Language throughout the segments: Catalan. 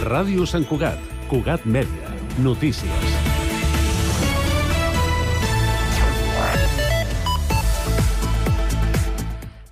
Ràdio Sant Cugat, Cugat Mèdia, notícies.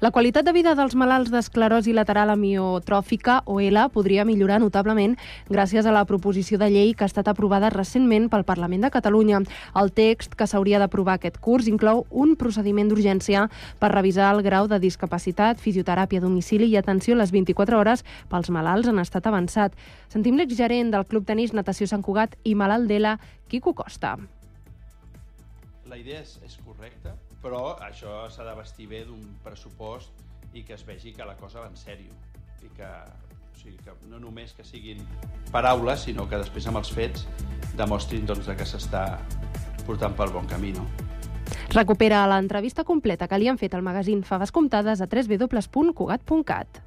La qualitat de vida dels malalts d'esclerosi lateral amiotròfica, o ELA, podria millorar notablement gràcies a la proposició de llei que ha estat aprovada recentment pel Parlament de Catalunya. El text que s'hauria d'aprovar aquest curs inclou un procediment d'urgència per revisar el grau de discapacitat, fisioteràpia a domicili i atenció a les 24 hores pels malalts en estat avançat. Sentim l'exgerent del Club Tenis Natació Sant Cugat i malalt d'ELA, Quico Costa. La idea és correcta, però això s'ha de vestir bé d'un pressupost i que es vegi que la cosa va en sèrio. I que no només que siguin paraules, sinó que després amb els fets demostrin que s'està portant pel bon camí. Recupera l'entrevista completa que li han fet al magazín Faves Comptades a www.cugat.cat.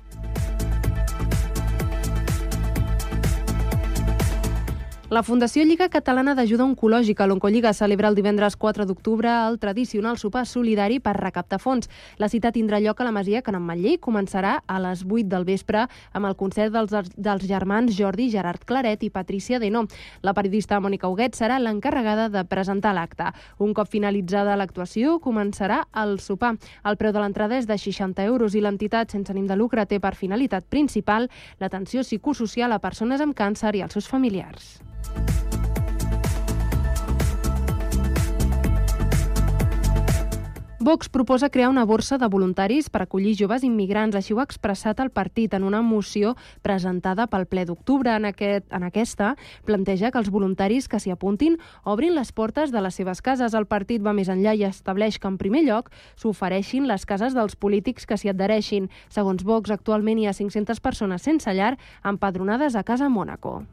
La Fundació Lliga Catalana d'Ajuda Oncològica, l'Oncolliga, celebra el divendres 4 d'octubre el tradicional sopar solidari per recaptar fons. La cita tindrà lloc a la Masia Can Ametller i començarà a les 8 del vespre amb el concert dels germans Jordi, Gerard Claret i Patricia Deno. La periodista Mònica Huguet serà l'encarregada de presentar l'acte. Un cop finalitzada l'actuació, començarà el sopar. El preu de l'entrada és de 60 euros i l'entitat sense ànim de lucre té per finalitat principal l'atenció psicosocial a persones amb càncer i als seus familiars. Vox proposa crear una borsa de voluntaris per acollir joves immigrants. Així ho ha expressat el partit en una moció presentada pel ple d'octubre. En aquesta planteja que els voluntaris que s'hi apuntin obrin les portes de les seves cases. El partit va més enllà i estableix que en primer lloc s'ofereixin les cases dels polítics que s'hi adhereixin. Segons Vox, actualment hi ha 500 persones sense llar empadronades a Casa Mònaco.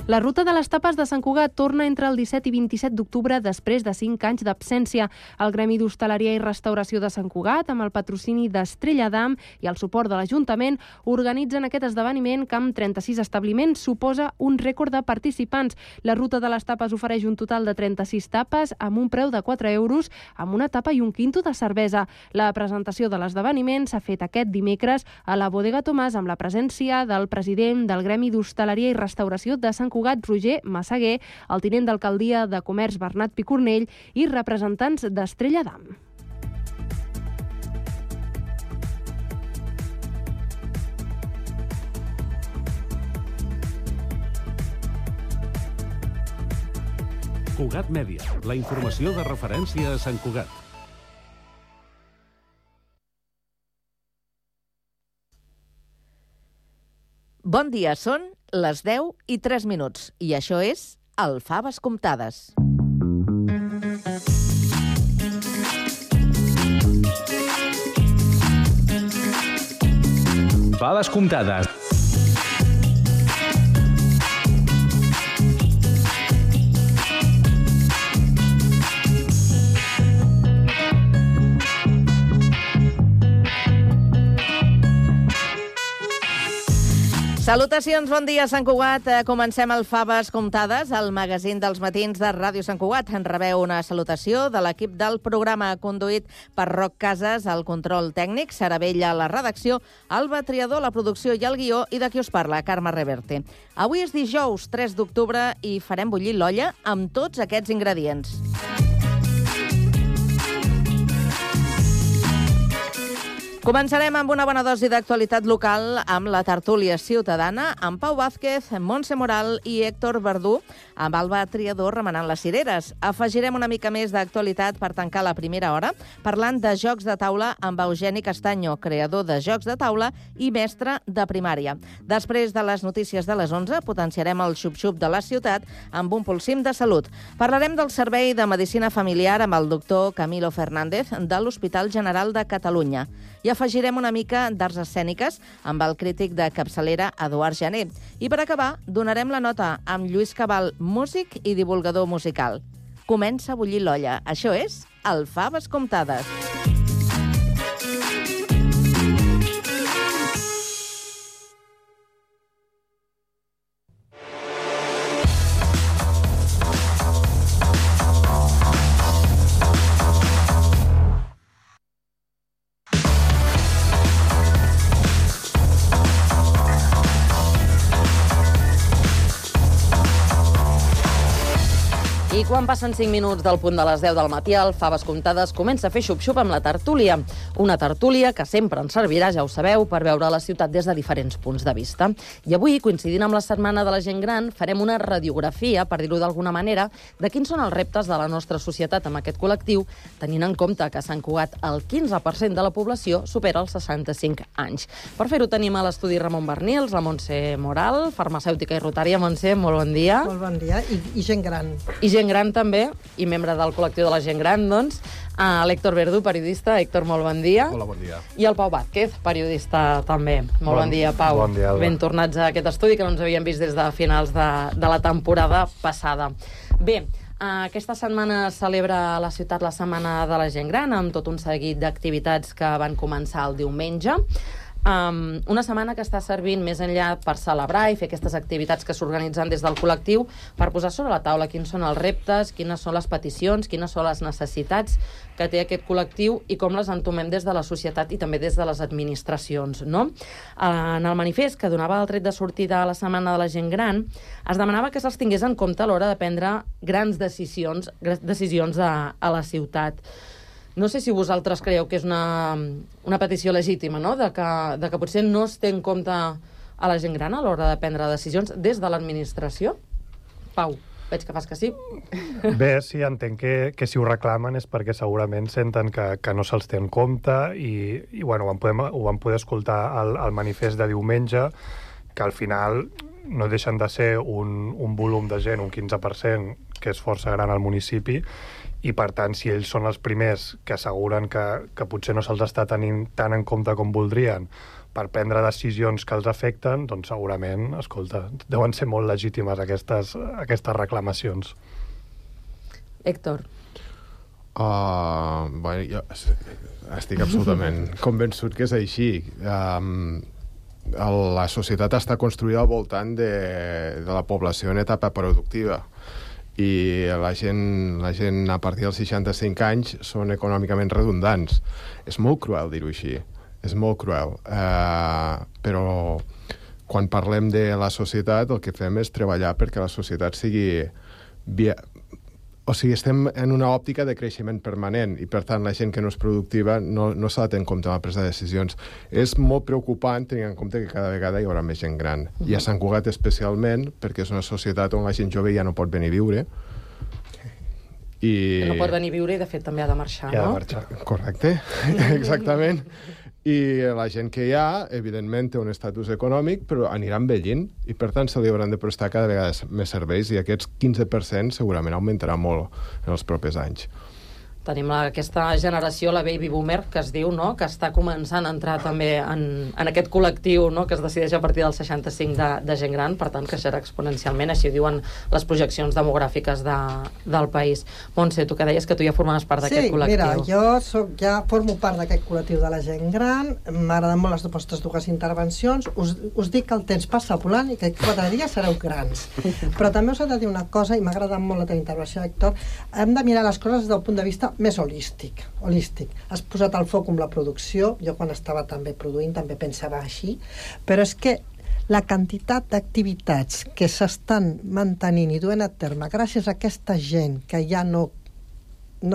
La ruta de les tapes de Sant Cugat torna entre el 17 i 27 d'octubre després de 5 anys d'absència. El Gremi d'Hostaleria i Restauració de Sant Cugat, amb el patrocini d'Estrella d'Am i el suport de l'Ajuntament, organitzen aquest esdeveniment que amb 36 establiments suposa un rècord de participants. La ruta de les tapes ofereix un total de 36 tapes amb un preu de 4 euros, amb una tapa i un quinto de cervesa. La presentació de l'esdeveniment s'ha fet aquest dimecres a la Bodega Tomàs amb la presència del president del Gremi d'Hostaleria i Restauració de Sant Cugat, Roger Massaguer, el tinent d'alcaldia de Comerç Bernat Picornell i representants d'Estrella d'Am. Cugat Mèdia, la informació de referència a Sant Cugat. Bon dia, són les 10 i 3 minuts i això és el Faves Comptades. Faves Comptades. Salutacions, bon dia, Sant Cugat. Comencem el Faves Comptades, el magazín dels matins de Ràdio Sant Cugat. En rebeu una salutació de l'equip del programa conduït per Roc Casas, el control tècnic, Sara Vella a la redacció, Alba Triador, la producció i el guió, i de qui us parla, Carme Reverte. Avui és dijous, 3 d'octubre, i farem bullir l'olla amb tots aquests ingredients. Començarem amb una bona dosi d'actualitat local amb la tertúlia ciutadana, amb Pau Vázquez, Montse Moral i Héctor Verdú, amb Alba Triador remenant les cireres. Afegirem una mica més d'actualitat per tancar la primera hora, parlant de jocs de taula amb Eugeni Castanyo, creador de jocs de taula i mestre de primària. Després de les notícies de les 11, potenciarem el xup-xup de la ciutat amb un pulsim de salut. Parlarem del servei de medicina familiar amb el doctor Camilo Fernández de l'Hospital General de Catalunya. I afegirem una mica d'arts escèniques amb el crític de capçalera Eduard Jané. I per acabar, donarem la nota amb Lluís Cabal, músic i divulgador musical. Comença a bullir l'olla. Això és el Faves Comptades. Quan passen 5 minuts del punt de les 10 del matí, el Faves Comptades comença a fer xup-xup amb la tertúlia. Una tertúlia que sempre ens servirà, ja ho sabeu, per veure la ciutat des de diferents punts de vista. I avui, coincidint amb la Setmana de la Gent Gran, farem una radiografia, per dir-ho d'alguna manera, de quins són els reptes de la nostra societat amb aquest col·lectiu, tenint en compte que a Sant Cugat el 15% de la població supera els 65 anys. Per fer-ho tenim a l'estudi Ramon Bernils, la Montse Moral, farmacèutica i rotària. Montse, molt bon dia. Molt bon dia, i gent gran. I gent gran també, i membre del col·lectiu de la gent gran, doncs, l'Héctor Verdú, periodista. Héctor, molt bon dia. Hola, bon dia. I el Pau Vázquez, periodista també. Molt bon dia, Pau. Bon dia, Alba. Ben tornats a aquest estudi, que no ens havíem vist des de finals de la temporada passada. Bé, aquesta setmana celebra a la ciutat la Setmana de la Gent Gran, amb tot un seguit d'activitats que van començar el diumenge. Una setmana que està servint més enllà per celebrar i fer aquestes activitats que s'organitzen des del col·lectiu per posar sobre la taula quins són els reptes, quines són les peticions, quines són les necessitats que té aquest col·lectiu i com les entomem des de la societat i també des de les administracions, no? En el manifest que donava el tret de sortida a la Setmana de la Gent Gran es demanava que se'ls tingués en compte a l'hora de prendre grans decisions a la ciutat. No sé si vosaltres creieu que és una petició legítima, no? De que potser no es té en compte a la gent gran a l'hora de prendre decisions des de l'administració. Pau, veig que fas que sí. Bé, sí, entenc que si ho reclamen és perquè segurament senten que no se'ls té en compte i bueno, ho vam poder escoltar al manifest de diumenge, que al final no deixen de ser un volum de gent, un 15%, que és força gran al municipi, i per tant, si ells són els primers que asseguren que potser no se'ls està tenint tant en compte com voldrien per prendre decisions que els afecten, doncs segurament, escolta, deuen ser molt legítimes aquestes reclamacions. Héctor. Bueno, jo estic absolutament convençut que és així. La societat està construïda al voltant de la població en etapa productiva, i la gent a partir dels 65 anys són econòmicament redundants. És molt cruel dir-ho així, és molt cruel. Però quan parlem de la societat el que fem és treballar perquè la societat sigui... O sigui, estem en una òptica de creixement permanent i, per tant, la gent que no és productiva no s'ha de tenir en compte en la presa de decisions. És molt preocupant tenint en compte que cada vegada hi haurà més gent gran. I a Sant Cugat especialment, perquè és una societat on la gent jove ja no pot venir a viure. No pot venir a viure i, de fet, també ha de marxar, no? Ha de marxar, correcte, exactament. I la gent que hi ha, evidentment, té un estatus econòmic, però anirà envellint i, per tant, se li hauran de prestar cada vegada més serveis i aquests 15% segurament augmentarà molt en els propers anys. Tenim aquesta generació, la baby boomer, que es diu, no?, que està començant a entrar també en aquest col·lectiu, no?, que es decideix a partir dels 65 de gent gran, per tant, creixerà exponencialment, així ho diuen les projeccions demogràfiques del país. Montse, tu que deies que tu ja formaves part d'aquest col·lectiu. Sí, mira, ja formo part d'aquest col·lectiu de la gent gran, m'agraden molt les vostres dues intervencions, us dic que el temps passa volant i que 4 dies sereu grans. Però també us he de dir una cosa, i m'ha agradat molt la teva intervenció, Héctor, hem de mirar les coses des del punt de vista més holístic. Has posat el foc amb la producció, jo quan estava també produint també pensava així, però és que la quantitat d'activitats que s'estan mantenint i duent a terme gràcies a aquesta gent que ja no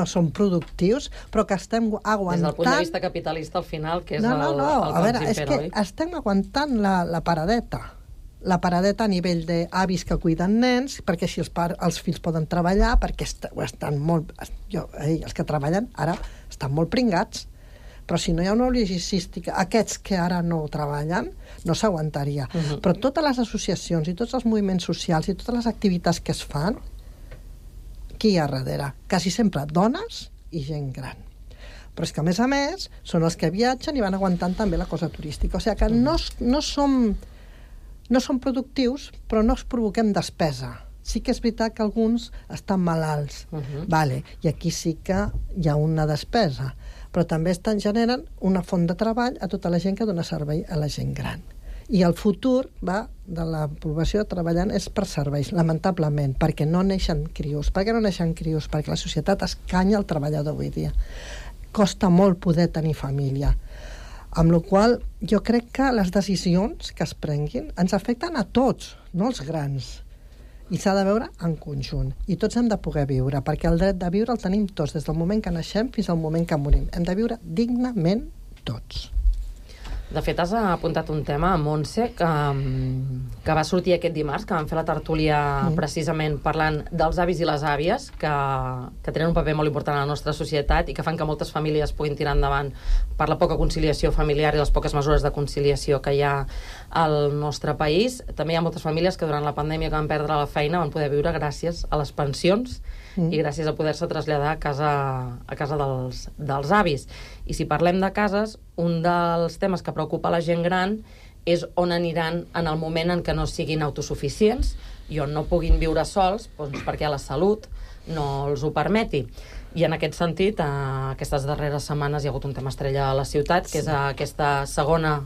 són productius, però que estem aguantant... Des del punt de vista capitalista, al final, que és el a veure, és que estem aguantant la paradeta a nivell d'avis que cuiden nens, perquè així els fills poden treballar, perquè estan molt... els que treballen ara estan molt pringats, però si no hi ha una logística, aquests que ara no treballen, no s'aguantaria. Però totes les associacions i tots els moviments socials i totes les activitats que es fan, qui hi ha darrere? Quasi sempre dones i gent gran. Però és que, a més, són els que viatgen i van aguantant també la cosa turística. O sigui que no som productius, però no es provoquem despesa. Sí que és veritat que alguns estan malalts, i aquí sí que hi ha una despesa, però també generen una font de treball a tota la gent que dona servei a la gent gran. I el futur de la població treballant és per serveis, lamentablement, perquè no neixen crios. Per què no neixen crios? Perquè la societat escanya el treballador avui dia. Costa molt poder tenir família. Amb la qual cosa, jo crec que les decisions que es prenguin ens afecten a tots, no als grans. I s'ha de veure en conjunt. I tots hem de poder viure, perquè el dret de viure el tenim tots, des del moment que naixem fins al moment que morim. Hem de viure dignament tots. De fet, has apuntat un tema, Montse, que va sortir aquest dimarts, que vam fer la tertúlia precisament parlant dels avis i les àvies, que tenen un paper molt important a la nostra societat i que fan que moltes famílies puguin tirar endavant per la poca conciliació familiar i les poques mesures de conciliació que hi ha al nostre país. També hi ha moltes famílies que durant la pandèmia que van perdre la feina van poder viure gràcies a les pensions i gràcies a poder-se traslladar a casa dels avis. I si parlem de cases, un dels temes que preocupa la gent gran és on aniran en el moment en què no siguin autosuficients i on no puguin viure sols, doncs perquè la salut no els ho permeti. I en aquest sentit, aquestes darreres setmanes hi ha hagut un tema estrella a la ciutat, que és aquesta segona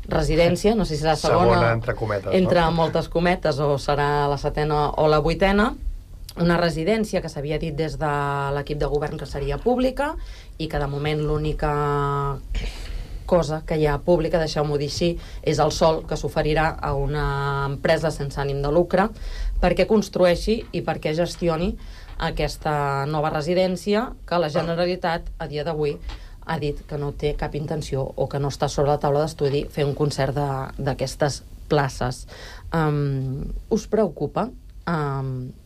residència, no sé si serà segona entre cometes, entre moltes cometes, o serà la 7ª o la 8ª, una residència que s'havia dit des de l'equip de govern que seria pública i que de moment l'única cosa que hi ha pública, deixeu-m'ho dir així, és el sòl que s'oferirà a una empresa sense ànim de lucre perquè construeixi i perquè gestioni aquesta nova residència que la Generalitat a dia d'avui ha dit que no té cap intenció o que no està sobre la taula d'estudi fer un concert d'aquestes places. Us preocupa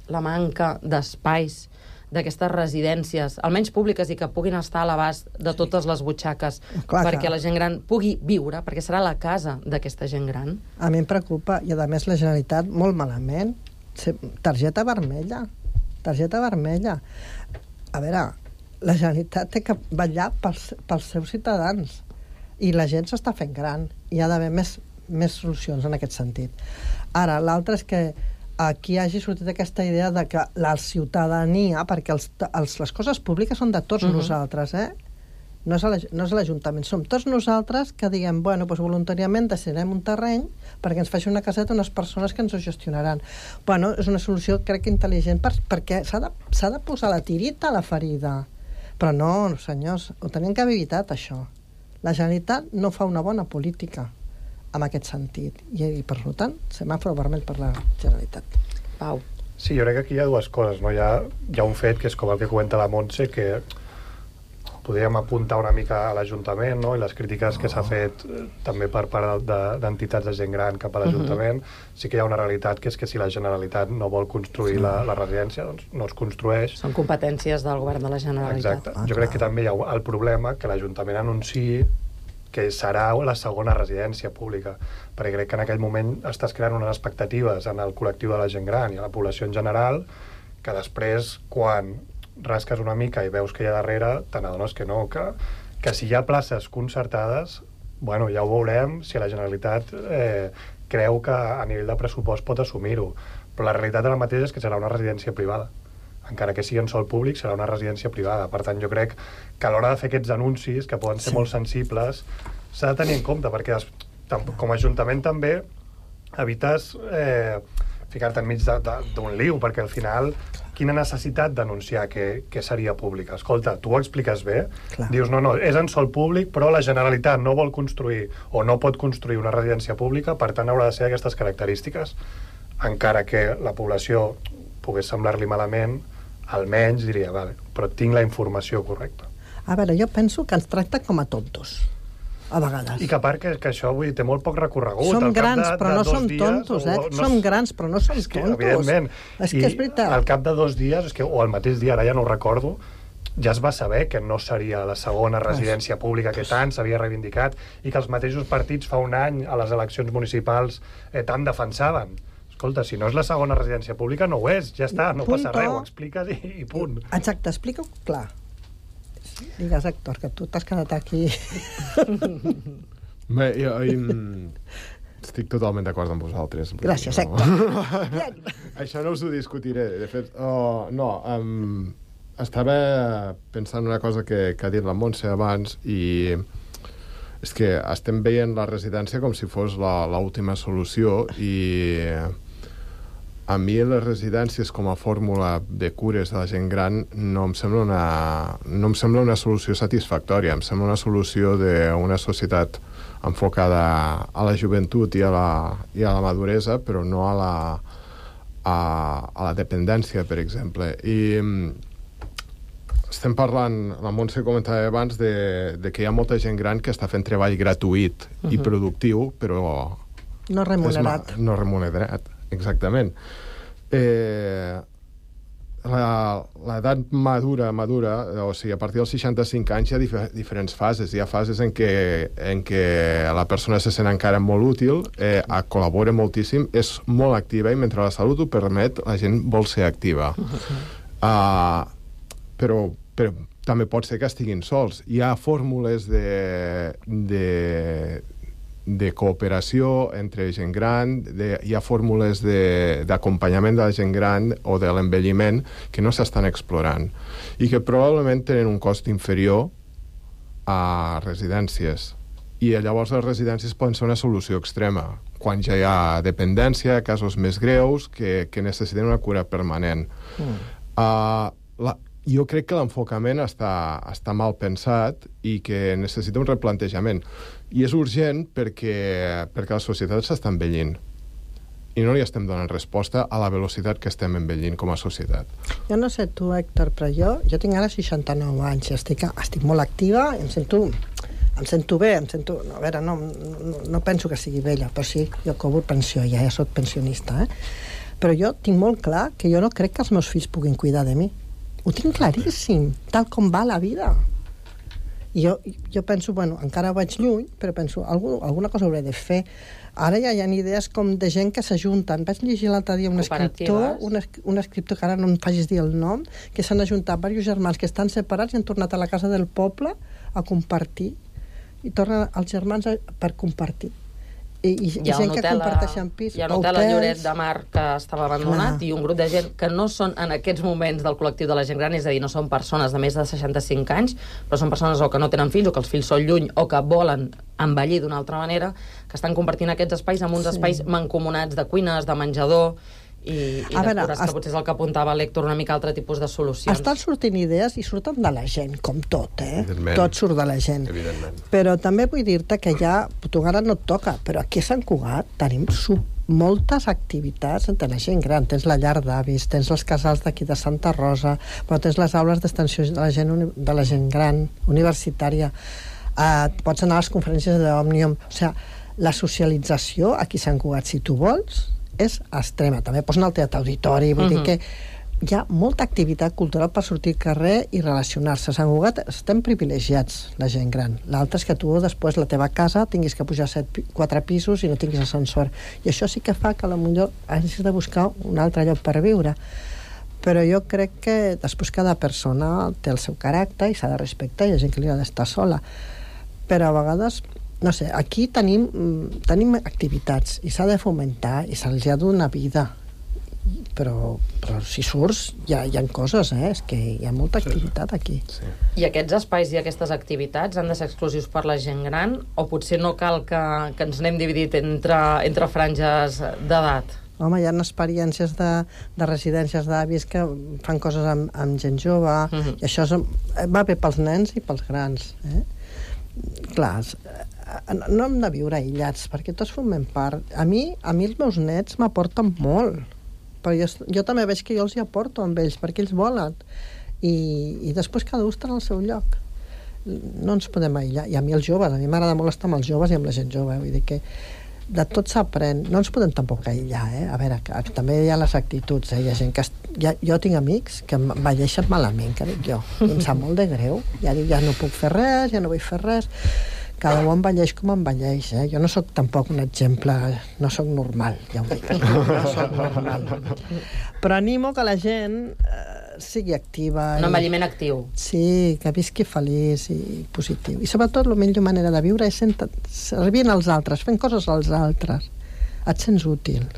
la manca d'espais d'aquestes residències, almenys públiques, i que puguin estar a l'abast de totes les butxaques perquè la gent gran pugui viure, perquè serà la casa d'aquesta gent gran? A mi em preocupa, i a més la Generalitat molt malament. Targeta vermella. A veure, la Generalitat té que vetllar pels seus ciutadans i la gent s'està fent gran. Hi ha d'haver més solucions en aquest sentit. Ara, l'altre és que aquí hagi sortit aquesta idea de que la ciutadania, perquè les coses públiques són de tots nosaltres, no és l'Ajuntament, som tots nosaltres que diguem, bueno, doncs voluntàriament decidirem un terreny perquè ens faci una caseta unes persones que ens ho gestionaran. Bueno, és una solució, crec que intel·ligent, perquè s'ha de posar la tirita a la ferida. Però no, senyors, ho tenien que haver evitat, això. La Generalitat no fa una bona política en aquest sentit. I per tant, semàfor vermell per la Generalitat. Pau. Sí, jo crec que aquí hi ha dues coses, no? Hi ha un fet que és com el que comenta la Montse, que podríem apuntar una mica a l'Ajuntament, no? I les crítiques que s'ha fet també per part d'entitats de gent gran cap a l'Ajuntament. Sí que hi ha una realitat, que és que si la Generalitat no vol construir la residència, doncs no es construeix. Són competències del govern de la Generalitat. Exacte. Jo crec que també hi ha el problema que l'Ajuntament anunciï que serà la segona residència pública, perquè crec que en aquell moment estàs creant unes expectatives en el col·lectiu de la gent gran i a la població en general, que després, quan rasques una mica i veus que hi ha darrere, te n'adones que no, que si hi ha places concertades, bueno, ja ho veurem si la Generalitat creu que a nivell de pressupost pot assumir-ho, però la realitat ara mateix és que serà una residència privada. Encara que sigui en sòl públic, serà una residència privada. Per tant, jo crec que a l'hora de fer aquests anuncis, que poden ser molt sensibles, s'ha de tenir en compte, perquè com a Ajuntament també evites ficar-te enmig d'un liu, perquè al final, quina necessitat d'anunciar que seria pública? Escolta, tu ho expliques bé, dius, no, és en sòl públic, però la Generalitat no vol construir o no pot construir una residència pública, per tant haurà de ser aquestes característiques. Encara que la població pogués semblar-li malament, almenys diria, vale, però tinc la informació correcta. A veure, jo penso que ens tracta com a tontos, a vegades. I que a part que això vull dir, té molt poc recorregut. Som grans, però no som tontos, Som grans, però no som tontos. Evidentment. És que és veritat. Al cap de 2 dies, o al mateix dia, ara ja no ho recordo, ja es va saber que no seria la segona residència pública que tant s'havia reivindicat i que els mateixos partits fa un any a les eleccions municipals tant defensaven. Escolta, si no és la segona residència pública, no ho és, ja està, no passa res, ho expliques i punt. Exacte, explica-ho clar. Digues, Héctor, que tu t'has quedat aquí. Bé, jo estic totalment d'acord amb vosaltres. Gràcies, Héctor. Això no us ho discutiré. De fet, estava pensant una cosa que ha dit la Montse abans i és que estem veient la residència com si fos l'última solució i a mi les residències com a fórmula de cures de la gent gran no em sembla una solució satisfactòria, em sembla una solució d'una societat enfocada a la joventut i a la maduresa, però no a a la dependència, per exemple. I estem parlant, la Montse comentava abans, de que hi ha molta gent gran que està fent treball gratuït i productiu, però... No remunerat. No remunerat, exactament. L'edat madura, o sigui, a partir dels 65 anys hi ha diferents fases. Hi ha fases en què la persona se sent encara molt útil, col·labora moltíssim, és molt activa i mentre la salut ho permet, la gent vol ser activa. Però també pot ser que estiguin sols. Hi ha fórmules de cooperació entre gent gran, hi ha fórmules d'acompanyament de la gent gran o de l'envelliment que no s'estan explorant i que probablement tenen un cost inferior a residències. I llavors les residències poden ser una solució extrema, quan ja hi ha dependència, casos més greus, que necessiten una cura permanent. Jo crec que l'enfocament està mal pensat i que necessita un replantejament. I és urgent perquè la societat s'està envellint. I no li estem donant resposta a la velocitat que estem envellint com a societat. Jo no sé tu, Héctor, però jo tinc ara 69 anys i estic molt activa i em sento bé, a veure, no penso que sigui vella, però sí, jo cobro pensió, ja soc pensionista, però jo tinc molt clar que jo no crec que els meus fills puguin cuidar de mi. Ho tinc claríssim, tal com va la vida. I jo penso, encara vaig lluny, però penso, alguna cosa hauré de fer. Ara ja hi ha idees com de gent que s'ajunten. Vaig llegir l'altre dia un escriptor, que ara no em facis dir el nom, que s'han ajuntat diversos germans que estan separats i han tornat a la casa del poble a compartir. I tornen els germans per compartir. I gent que comparteixen pis. Hi ha un hotel a Lloret de Mar que estava abandonat i un grup de gent que no són en aquests moments del col·lectiu de la gent gran, és a dir, no són persones de més de 65 anys, però són persones o que no tenen fills o que els fills són lluny o que volen envellir d'una altra manera, que estan compartint aquests espais amb uns espais mancomunats de cuines, de menjador i de cures, que potser és el que apuntava l'Héctor, una mica altre tipus de solucions. Estan sortint idees i surten de la gent, com tot, Evidentment. Tot surt de la gent. Evidentment. Però també vull dir-te que ja, tu ara no et toca, però aquí a Sant Cugat tenim moltes activitats entre la gent gran. Tens la llar d'avis, tens els casals d'aquí de Santa Rosa, però tens les aules d'extensió de la gent gran, universitària. Pots anar a les conferències d'Òmnium. O sigui, la socialització aquí a Sant Cugat, si tu vols, és extrema. També pots anar al teatre auditori, vull dir que hi ha molta activitat cultural per sortir al carrer i relacionar-se. A Sant Cugat estem privilegiats, la gent gran. L'altre és que tu després la teva casa tinguis que pujar 4 pisos i no tinguis ascensor. I això sí que fa que potser hagis de buscar un altre lloc per viure. Però jo crec que després cada persona té el seu caràcter i s'ha de respectar, hi ha gent que li ha d'estar sola. Però a vegades no sé, aquí tenim activitats i s'ha de fomentar i se'ls ha de donar vida, però si surts hi ha coses, és que hi ha molta activitat aquí. Sí. I aquests espais i aquestes activitats han de ser exclusius per la gent gran o potser no cal que ens n'hem dividit entre franges d'edat? Home, hi ha experiències de residències d'avis que fan coses amb gent jove i això va bé pels nens i pels grans, Clar, no hem de viure aïllats, perquè tots formem part. A mi els meus nets m'aporten molt, però jo també veig que jo els hi aporto amb ells, perquè ells volen. I després cada un està en el seu lloc. No ens podem aïllar. I a mi els joves, a mi m'agrada molt estar amb els joves i amb la gent jove, vull dir que de tot s'aprèn. No ens podem tampoc aïllar, A veure, que també hi ha les actituds, Hi ha gent que... Jo tinc amics que envelleixen malament, que dic jo. I em sap molt de greu. Ja dic, ja no puc fer res, ja no vull fer res. Cada un envelleix com envelleix, Jo no sóc tampoc un exemple, no sóc normal, ja ho dic. No sóc normal. Però animo que la gent sigui activa. Un envelliment actiu. Sí, que visqui feliç i positiu. I sobretot la millor manera de viure és servint als altres, fent coses als altres. Et sents útil.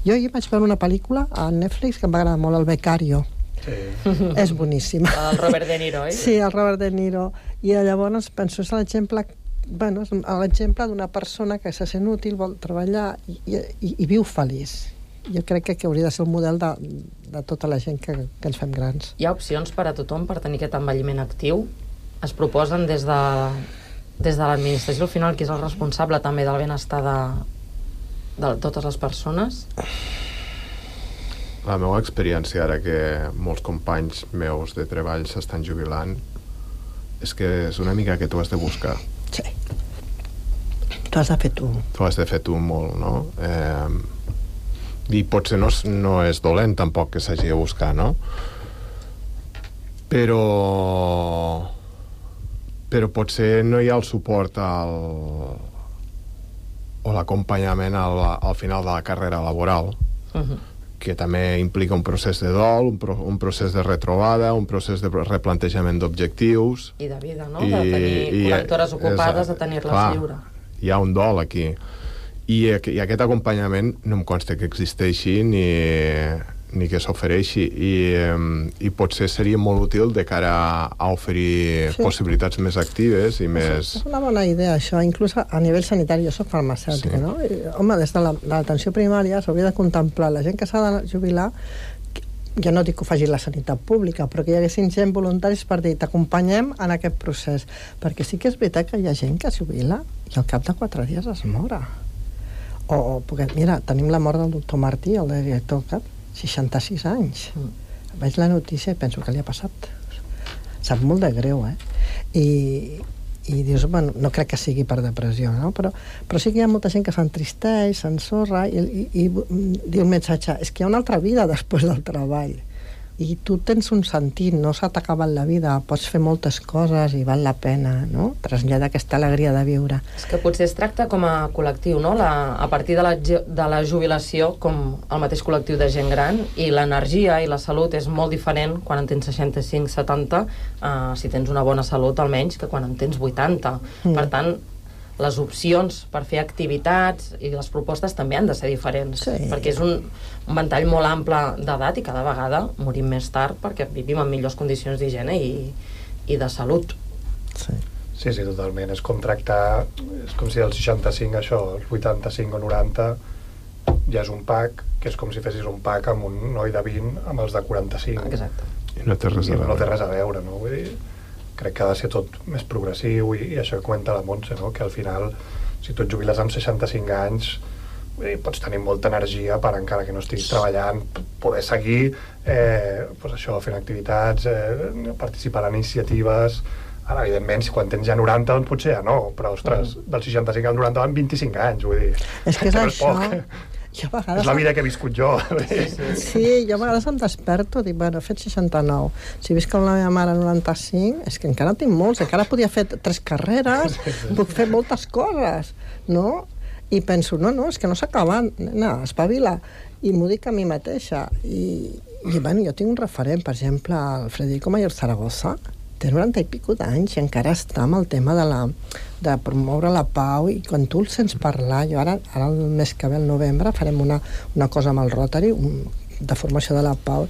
Jo ahir vaig veure una pel·lícula a Netflix que em va agradar molt, El Becario. Sí. És boníssima. El Robert De Niro, Sí, el Robert De Niro. I llavors penso, és l'exemple d'una persona que se sent útil, vol treballar i viu feliç. Jo crec que hauria de ser el model de tota la gent que ens fem grans. Hi ha opcions per a tothom per tenir aquest envelliment actiu? Es proposen des de l'administració al final, que és el responsable també del benestar de totes les persones? la meva experiència, ara que molts companys meus de treball s'estan jubilant, és que és una mica que tu has de buscar. Sí. Tu has de fer tu. Tu has de fer tu molt, no? I potser no és dolent tampoc que s'hagi de buscar, no? Però potser no hi ha el suport o l'acompanyament al final de la carrera laboral, que també implica un procés de dol, un procés de retrobada, un procés de replantejament d'objectius. I de vida, no? De tenir 40 hores ocupades, de tenir-les lliure. Hi ha un dol aquí. I aquest acompanyament no em consta que existeixi ni que s'ofereixi, i potser seria molt útil de cara a oferir possibilitats més actives i més... És una bona idea, això, inclús a nivell sanitari. Jo soc farmacèutica, no? Home, des de l'atenció primària s'hauria de contemplar la gent que s'ha de jubilar. Ja no dic que ho faci la sanitat pública, però que hi haguessin gent voluntaris per dir t'acompanyem en aquest procés, perquè sí que és veritat que hi ha gent que es jubila i al cap de 4 dies es mora. Perquè, mira, tenim la mort del doctor Martí, el director cap, 66 anys. Veig la notícia i penso que li ha passat. Sap molt de greu, I dius, bueno, no crec que sigui per depressió, no? Però sí que hi ha molta gent que s'entristeix, s'ensorra i diu el missatge, és que hi ha una altra vida després del treball. I tu tens un sentit, no s'ha acabat la vida, pots fer moltes coses i val la pena, no? Traslladar aquesta alegria de viure. És que potser es tracta com a col·lectiu, no? A partir de la jubilació, com el mateix col·lectiu de gent gran, i l'energia i la salut és molt diferent quan en tens 65-70, si tens una bona salut almenys, que quan en tens 80. Per tant, les opcions per fer activitats i les propostes també han de ser diferents, perquè és un ventall molt ample d'edat i cada vegada morim més tard perquè vivim en millors condicions d'higiene i de salut. Sí, totalment. És com tractar, és com si als 65 això, als 85 o 90 ja és un pack, que és com si fessis un pack amb un noi de 20 amb els de 45. Exacte. I no té res a veure. No té res a veure, no? Vull dir, crec que ha de ser tot més progressiu i això que comenta la Montse, no? Que al final, si tu et jubiles amb 65 anys, pots tenir molta energia per, encara que no estiguis treballant, poder seguir fent activitats, participar en iniciatives. Ara, evidentment, si quan tens ja 90, doncs potser ja no, però, ostres, del 65 al 90 van 25 anys, vull dir... És que és això... És la vida que he viscut jo. Sí, jo a vegades em desperto i dic, bueno, he fet 69. Si visc com la meva mare 95, és que encara tinc molts, encara podia fer 3 carreres, puc fer moltes coses, no? I penso, no, és que no s'acaba, nena, espavila. I m'ho dic a mi mateixa. I bueno, jo tinc un referent, per exemple, el Federico Mayor Zaragoza, té 90 i pico d'anys i encara està amb el tema de promoure la pau, i quan tu el sents parlar, jo ara el mes que ve, el novembre, farem una cosa amb el Rotary, de formació de la pau.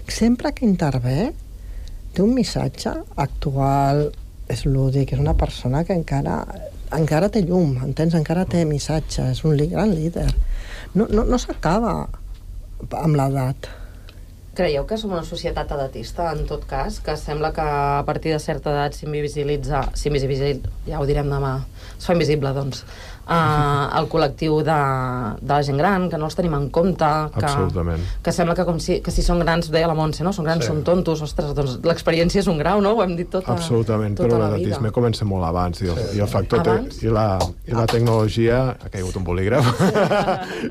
Sempre que intervé té un missatge actual, és lúdic, és una persona que encara té llum, entens? Encara té missatge, és un gran líder. No s'acaba amb l'edat. Creieu que som una societat edatista, en tot cas, que sembla que a partir de certa edat s'invisibilitza, ja ho direm demà, es fa invisible, doncs, el col·lectiu de la gent gran, que no els tenim en compte, que sembla que si són grans, deia la Montse, no? Són grans, són tontos, ostres, doncs l'experiència és un grau, no? Ho hem dit tota la vida. Absolutament, però l'edatisme comença molt abans, i el factor i la tecnologia, ha caigut un bolígraf,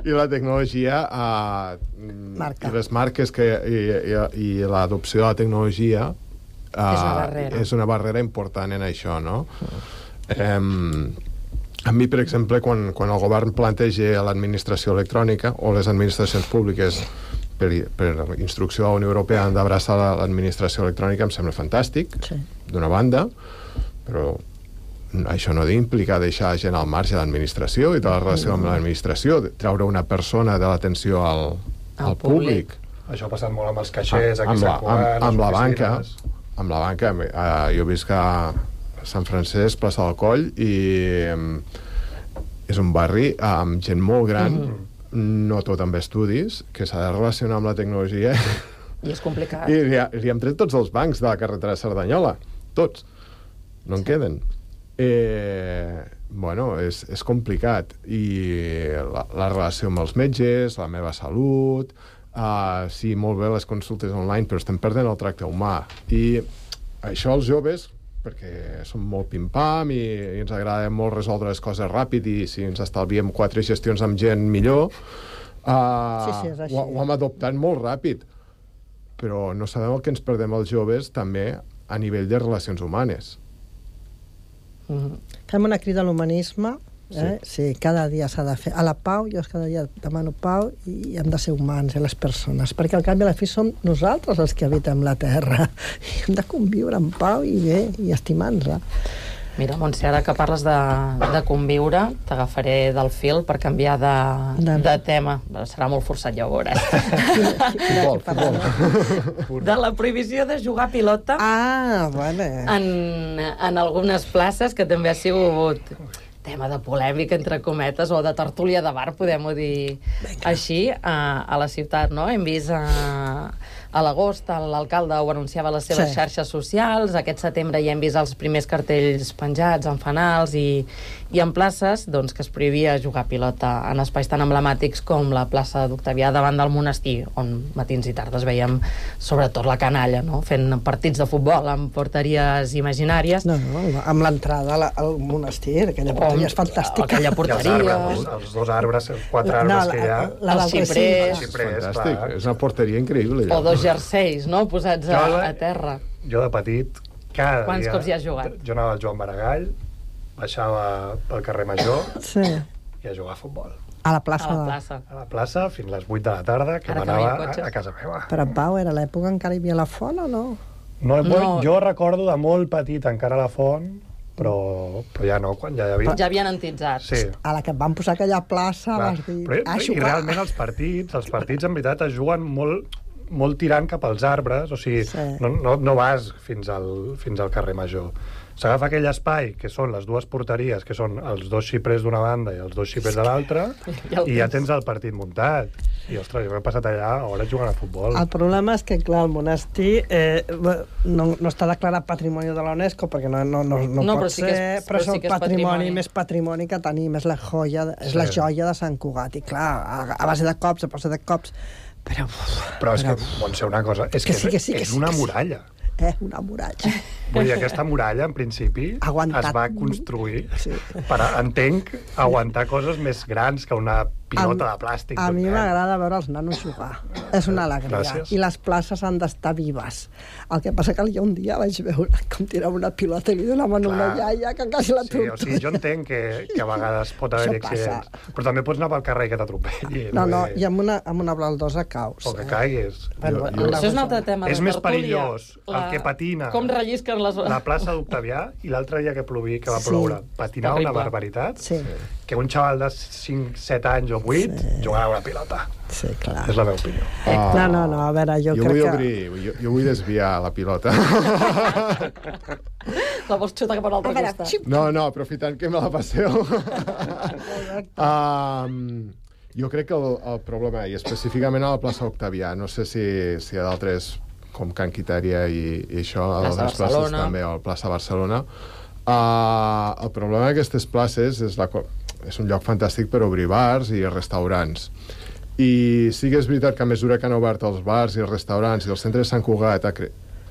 i la tecnologia i les marques i l'adopció de la tecnologia és una barrera important en això, no? A mi, per exemple, quan el govern planteja l'administració electrònica o les administracions públiques per instrucció de la Unió Europea han d'abraçar l'administració electrònica, em sembla fantàstic, d'una banda, però això no d'implicar deixar gent al marge de l'administració i de la relació amb l'administració, treure una persona de l'atenció al públic. Això ha passat molt amb els caixers, amb la banca. Amb la banca. Jo visc a Sant Francesc, plaça del Coll, i és un barri amb gent molt gran, no tot amb estudis, que s'ha de relacionar amb la tecnologia. I és complicat. I li hem tret tots els bancs de la carretera de Cerdanyola. Tots. No en queden. Bueno, és complicat. I la relació amb els metges, la meva salut, sí, molt bé les consultes online, però estem perdent el tracte humà. I això els joves, perquè som molt pim-pam i ens agrada molt resoldre les coses ràpid i si ens estalviem 4 gestions amb gent millor, ho hem adoptat molt ràpid. Però no sabem el que ens perdem els joves també a nivell de relacions humanes. Fem una crida a l'humanisme. Sí, cada dia s'ha de fer. A la pau, jo cada dia demano pau i hem de ser humans, les persones, perquè al cap i a la fi som nosaltres els que habitem la Terra i hem de conviure en pau i bé, i estimar-nos. Mira, Montse, ara que parles de conviure, t'agafaré del fil per canviar de tema. Serà molt forçat, ja ho veuràs. De la prohibició de jugar a pilota en algunes places, que també ha sigut tema de polèmica, entre cometes, o de tertúlia de bar, podem-ho dir així, a la ciutat, no? Hem vist a l'agost l'alcalde ho anunciava a les seves xarxes socials, aquest setembre ja hem vist els primers cartells penjats en fanals i en places doncs, que es prohibia jugar a pilota en espais tan emblemàtics com la plaça d'Octavià davant del monestir, on matins i tardes veiem sobretot la canalla, no? Fent partits de futbol amb porteries imaginàries. No, amb l'entrada al monestir, aquella porteria és fantàstica. Aquella porteria... Els 2 arbres, 4 arbres que hi ha... El xiprers. Fantàstic, és una porteria increïble. O 2 jerseis, no?, posats a terra. Jo de petit, cada dia... Quants cops hi has jugat? Jo anava al Joan Maragall, baixava pel carrer Major i a jugar a futbol. A la plaça. A la plaça fins les 8 de la tarda, que m'anava a casa meva. Però, Pau, era l'època encara hi havia la font o no? No, jo recordo de molt petit encara la font, però ja no, quan ja hi havia... Ja havien antitzat. Sí. A la que et van posar aquella plaça vas dir... I realment els partits en veritat es juguen molt tirant cap als arbres, o sigui, no vas fins al carrer Major. S'agafa aquell espai, que són les 2 porteries, que són els 2 xiprers d'una banda i els 2 xiprers de l'altra, i ja tens el partit muntat. I, ostres, jo m'he passat allà hores jugant a futbol. El problema és que, clar, el monestir no està declarat patrimoni de la UNESCO, perquè no pot ser, però és el patrimoni més patrimoni que tenim, és la joia de Sant Cugat. I, clar, a base de cops, però és que, Montse, una cosa, és que és una muralla. Una muralla. Vull dir, aquesta muralla, en principi, es va construir per, entenc, aguantar coses més grans que una pilota de plàstic. A mi m'agrada veure els nanos jugar. És una alegria. Gràcies. I les places han d'estar vives. El que passa que jo un dia vaig veure com tirava una pilota i li donava una iaia que quasi la tortura. O sigui, jo entenc que a vegades pot haver accidents. Però també pots anar pel carrer i que t'atropelli. No, i amb una baldosa caus. O que caiguis. Això és un altre tema. És més perillós el que patina com rellisquen la plaça d'Octavià i l'altre dia que va ploure. Patinar una barbaritat que un xaval de 5-7 anys o 8 jugar a una pilota. Sí, clar. És la meva opinió. No, a veure, jo crec que... Jo vull desviar la pilota. La vols xutar cap a l'altre costat? No, aprofitant que me la passeu. Jo crec que el problema, i específicament a la plaça Octavià, no sé si hi ha d'altres com Can Quitària i això, a les places també, o a la plaça Barcelona. El problema d'aquestes places és un lloc fantàstic per obrir bars i restaurants. I sí que és veritat que a mesura que han obert els bars i els restaurants i el centre de Sant Cugat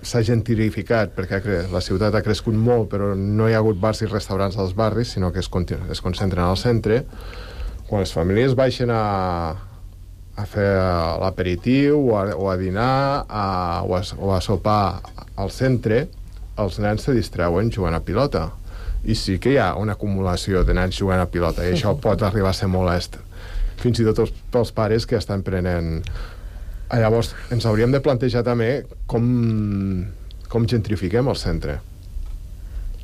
s'ha gentrificat, perquè la ciutat ha crescut molt, però no hi ha hagut bars i restaurants als barris, sinó que es concentren al centre. Quan les famílies baixen a fer l'aperitiu o a dinar o a sopar al centre, els nens se distreuen jugant a pilota. I sí que hi ha una acumulació de nens jugant a pilota, i això pot arribar a ser molest. Fins i tot pels pares que estan prenent... Llavors, ens hauríem de plantejar també com gentrifiquem el centre.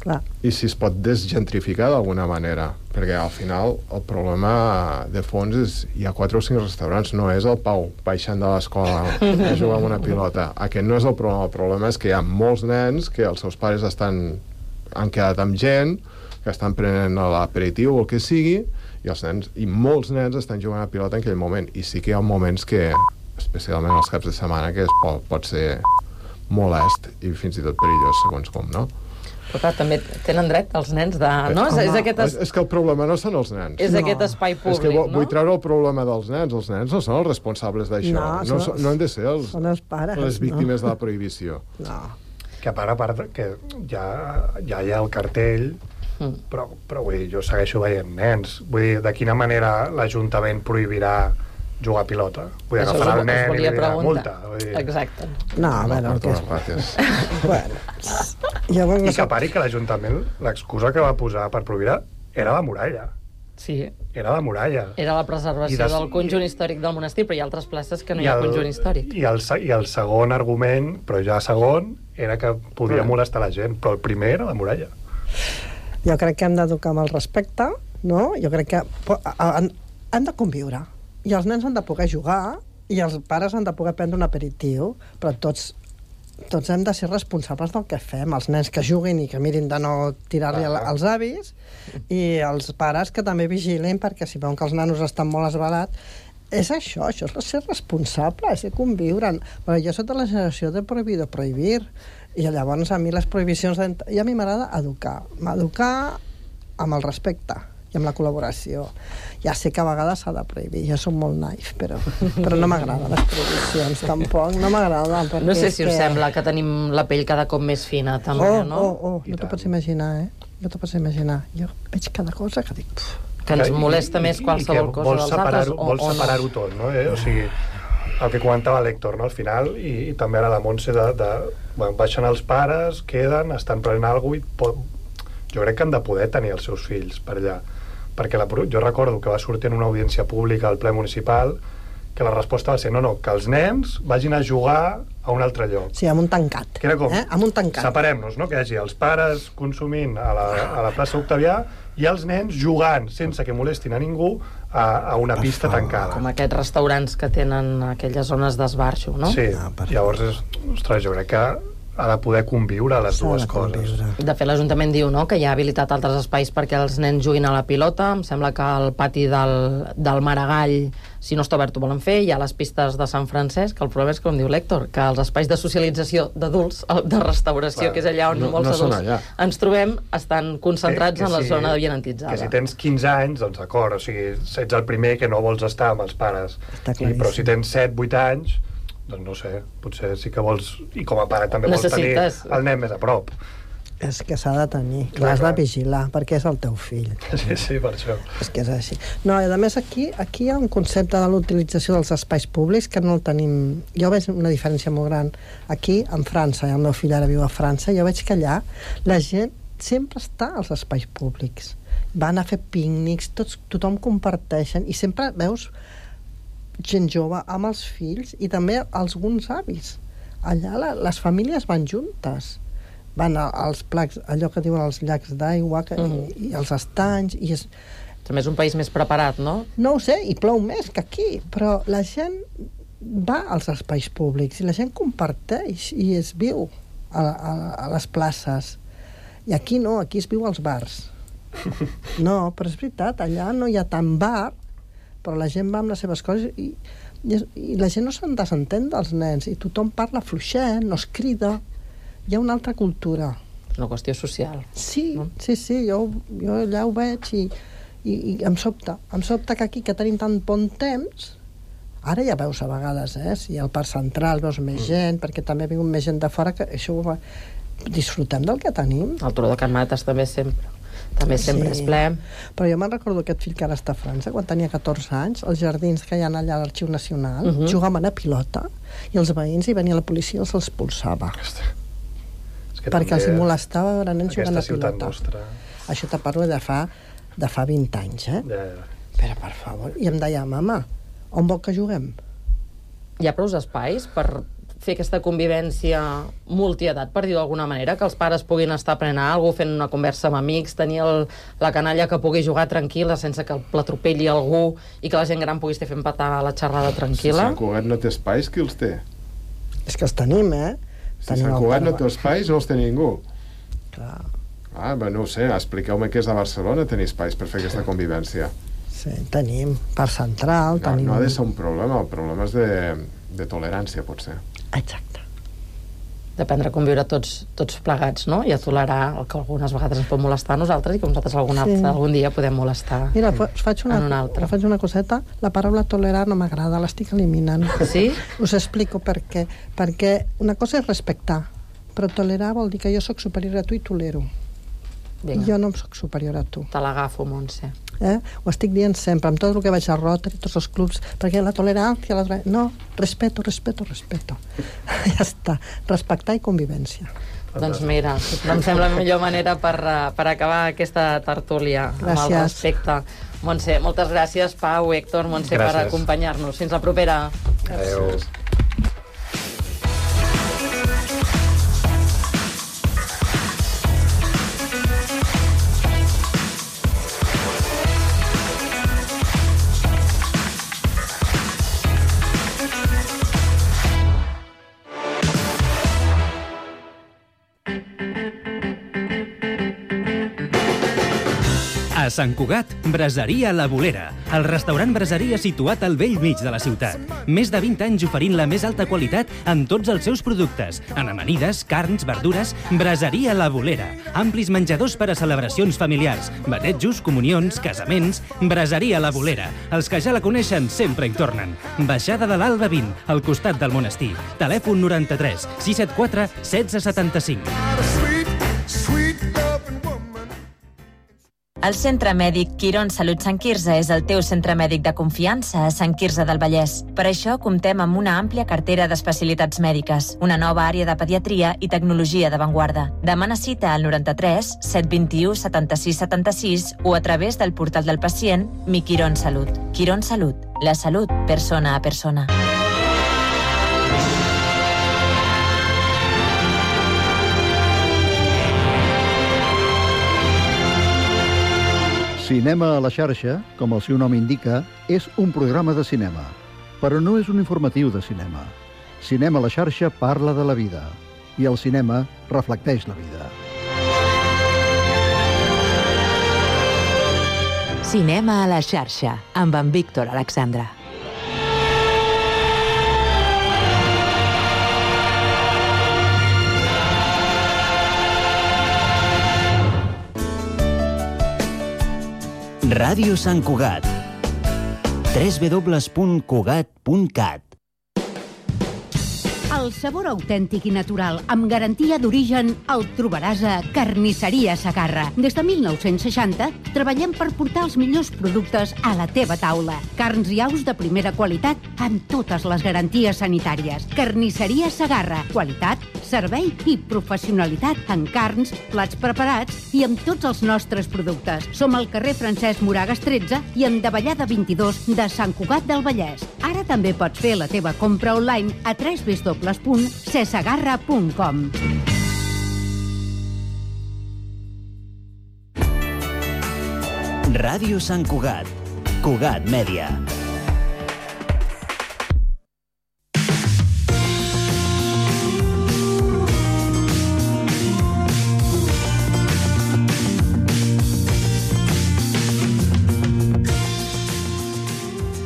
Clar. I si es pot desgentrificar d'alguna manera, perquè al final el problema de fons és hi ha 4 o 5 restaurants, no és el Pau baixant de l'escola a jugar amb una pilota. Aquest no és el problema és que hi ha molts nens que els seus pares han quedat amb gent, que estan prenent l'aperitiu o el que sigui, i molts nens estan jugant a pilota en aquell moment, i sí que hi ha moments que, especialment els caps de setmana, que pot ser molest i fins i tot perillós, segons com, no? Però clar, també tenen dret els nens de... No? És que el problema no són els nens. És aquest espai públic, és que no? Vull treure el problema dels nens. Els nens no són els responsables d'això. No han de ser són els pares, les víctimes de la prohibició. No. Que a part que ja hi ha el cartell, però vull dir, jo segueixo veient nens. Vull dir, de quina manera l'Ajuntament prohibirà jugar a pilota? Vull dir, agafarà el nen i li dirà multa. Exacte. No, a veure, el que és... I que pari que l'Ajuntament, l'excusa que va posar per prohibir era la muralla. Sí. Era la muralla. Era la preservació del conjunt històric del monestir, però hi ha altres places que no hi ha conjunt històric. I el segon argument, però ja segon, era que podia molestar la gent, però el primer era la muralla. Jo crec que hem d'educar amb el respecte, no? Jo crec que han de conviure. I els nens han de poder jugar, i els pares han de poder prendre un aperitiu, però tots hem de ser responsables del que fem. Els nens que juguin i que mirin de no tirar-li als avis, i els pares que també vigilin, perquè si veuen que els nanos estan molt esbalats, és això és ser responsable, és ser conviure. Però jo soc de la generació de prohibir, i llavors a mi les prohibicions... I a mi m'agrada educar amb el respecte i amb la col·laboració. Ja sé que a vegades s'ha de prohibir, jo soc molt naif, però no m'agraden les prohibicions, tampoc, no m'agraden. No sé si us sembla que tenim la pell cada cop més fina, també, no? No t'ho pots imaginar, No t'ho pots imaginar. Jo veig cada cosa que dic... Que ens molesta més qualsevol cosa dels altres, o no? Vols separar-ho tot, no? O sigui, el que comentava l'Héctor, no? Al final, i també ara la Montse, baixen els pares, queden, estan prenent alguna cosa, jo crec que han de poder tenir els seus fills per allà. Perquè jo recordo que va sortir en una audiència pública al ple municipal que la resposta va ser no, que els nens vagin a jugar a un altre lloc. Sí, amb un tancat. Que era com, amb un tancat. Separem-nos, no? Que hi hagi els pares consumint a la plaça Octavià i els nens jugant sense que molestin a ningú a una pista tancada. Com aquests restaurants que tenen aquelles zones d'esbarxo, no? Sí, llavors, ostres, jo crec que ha de poder conviure les dues coses. De fet, l'Ajuntament diu que hi ha habilitat altres espais perquè els nens juguin a la pilota. Em sembla que al pati del Maragall, si no està obert, ho volen fer. Hi ha les pistes de Sant Francesc, que el problema és, com diu l'Héctor, que els espais de socialització d'adults, de restauració, que és allà on molts adults ens trobem, estan concentrats en la zona avianantitzada. Que si tens 15 anys, doncs d'acord, o sigui, ets el primer que no vols estar amb els pares. Però si tens 7-8 anys, doncs no sé, potser sí que vols, i com a pare també vols tenir el nen més a prop. És que s'ha de tenir, l'has de vigilar, perquè és el teu fill. Sí, per això. És que és així. No, i a més aquí hi ha un concepte de l'utilització dels espais públics que no el tenim... Jo veig una diferència molt gran. Aquí, en França, i el meu fill ara viu a França, jo veig que allà la gent sempre està als espais públics. Van a fer pícnics, tothom comparteixen, i sempre veus gent jove amb els fills i també alguns avis. Allà les famílies van juntes, van als placs, allò que diuen els llacs d'aigua i els estanys, i també és un país més preparat, no? No ho sé, i plou més que aquí, però la gent va als espais públics i la gent comparteix i es viu a les places, i aquí no, aquí es viu als bars. No, però és veritat, allà no hi ha tant bar, però la gent va amb les seves coses i la gent no se'n desentén dels nens i tothom parla fluixet, no es crida. Hi ha una altra cultura. És una qüestió social. Sí, no? Sí, jo allà ho veig i em sobta que aquí, que tenim tant bon temps, ara ja veus a vegades, si al Parc Central veus més gent, perquè també ha vingut més gent de fora, que això disfrutem del que tenim. El Turó de Can Mates també sempre és ple. Però jo me'n recordo aquest fill que ara està a França, quan tenia 14 anys, els jardins que hi ha allà a l'Arxiu Nacional, jugaven a pilota, i els veïns hi venia la policia i els expulsava. Perquè els molestava veure nens jugant a pilota. Això te parlo de fa 20 anys, Però, per favor, i em deia, mama, on vol que juguem? Hi ha prou espais per fer aquesta convivència multiedat, per dir d'alguna manera, que els pares puguin estar prenent alguna cosa, fent una conversa amb amics, tenir la canalla que pugui jugar tranquil·la sense que l'atropelli algú i que la gent gran pugui estar fent petar la xerrada tranquil·la. Si Sant Cugat no té espais, qui els té? És que els tenim, Si Sant Cugat no té espais, no els té ningú. Clar. No ho sé, expliqueu-me què és a Barcelona tenir espais per fer aquesta convivència. Sí, tenim Parc Central, tenim... No ha de ser un problema, el problema és de tolerància, potser. Exacte. d'aprendre a conviure tots plegats, no? I a tolerar el que algunes vegades ens pot molestar a nosaltres i que nosaltres algun dia podem molestar. Mira, faig una coseta. La paraula tolerar no m'agrada, l'estic eliminant. Sí? Us explico per què. Perquè una cosa és respectar, però tolerar vol dir que jo sóc superior a tu i tolero. Vinga. Jo no em sóc superior a tu. Te l'agafo, Montse. Ho estic dient sempre, amb tot el que vaig a Rotary, tots els clubs, perquè la tolerància... No, respeto. Ja està. Respectar i convivència. Doncs mira, em sembla la millor manera per acabar aquesta tertúlia. Gràcies. Amb el respecte. Montse, moltes gràcies, Pau, Héctor, Montse, per acompanyar-nos. Fins la propera. Adéu. A Sant Cugat, Braseria La Bolera, el restaurant braseria situat al bell mig de la ciutat. Més de 20 anys oferint la més alta qualitat en tots els seus productes, en amanides, carns, verdures. Braseria La Bolera, amplis menjadors per a celebracions familiars, batejos, comunions, casaments. Braseria La Bolera, els que ja la coneixen sempre hi tornen. Baixada de l'Alba 20, al costat del monestir. Telèfon 93 674 1675. El Centre Mèdic Quirón Salut Sant Quirze és el teu centre mèdic de confiança a Sant Quirze del Vallès. Per això comptem amb una àmplia cartera d'especialitats mèdiques, una nova àrea de pediatria i tecnologia d'avantguarda. Demana cita al 93 721 76 76 o a través del portal del pacient Mi Quirón Salut. Quirón Salut, la salut persona a persona. Cinema a la xarxa, com el seu nom indica, és un programa de cinema, però no és un informatiu de cinema. Cinema a la xarxa parla de la vida, i el cinema reflecteix la vida. Cinema a la xarxa, amb en Víctor Alexandra. Ràdio Sant Cugat. www.cugat.cat. El sabor autèntic i natural, amb garantia d'origen, el trobaràs a Carnisseria Segarra. Des de 1960 treballem per portar els millors productes a la teva taula. Carns i aus de primera qualitat amb totes les garanties sanitàries. Carnisseria Segarra. Qualitat, servei i professionalitat en carns, plats preparats i amb tots els nostres productes. Som al carrer Francesc Moragas 13 i en Davallada 22 de Sant Cugat del Vallès. Ara també pots fer la teva compra online a www.cesegarra.com. Ràdio Sant Cugat. Cugat Mèdia.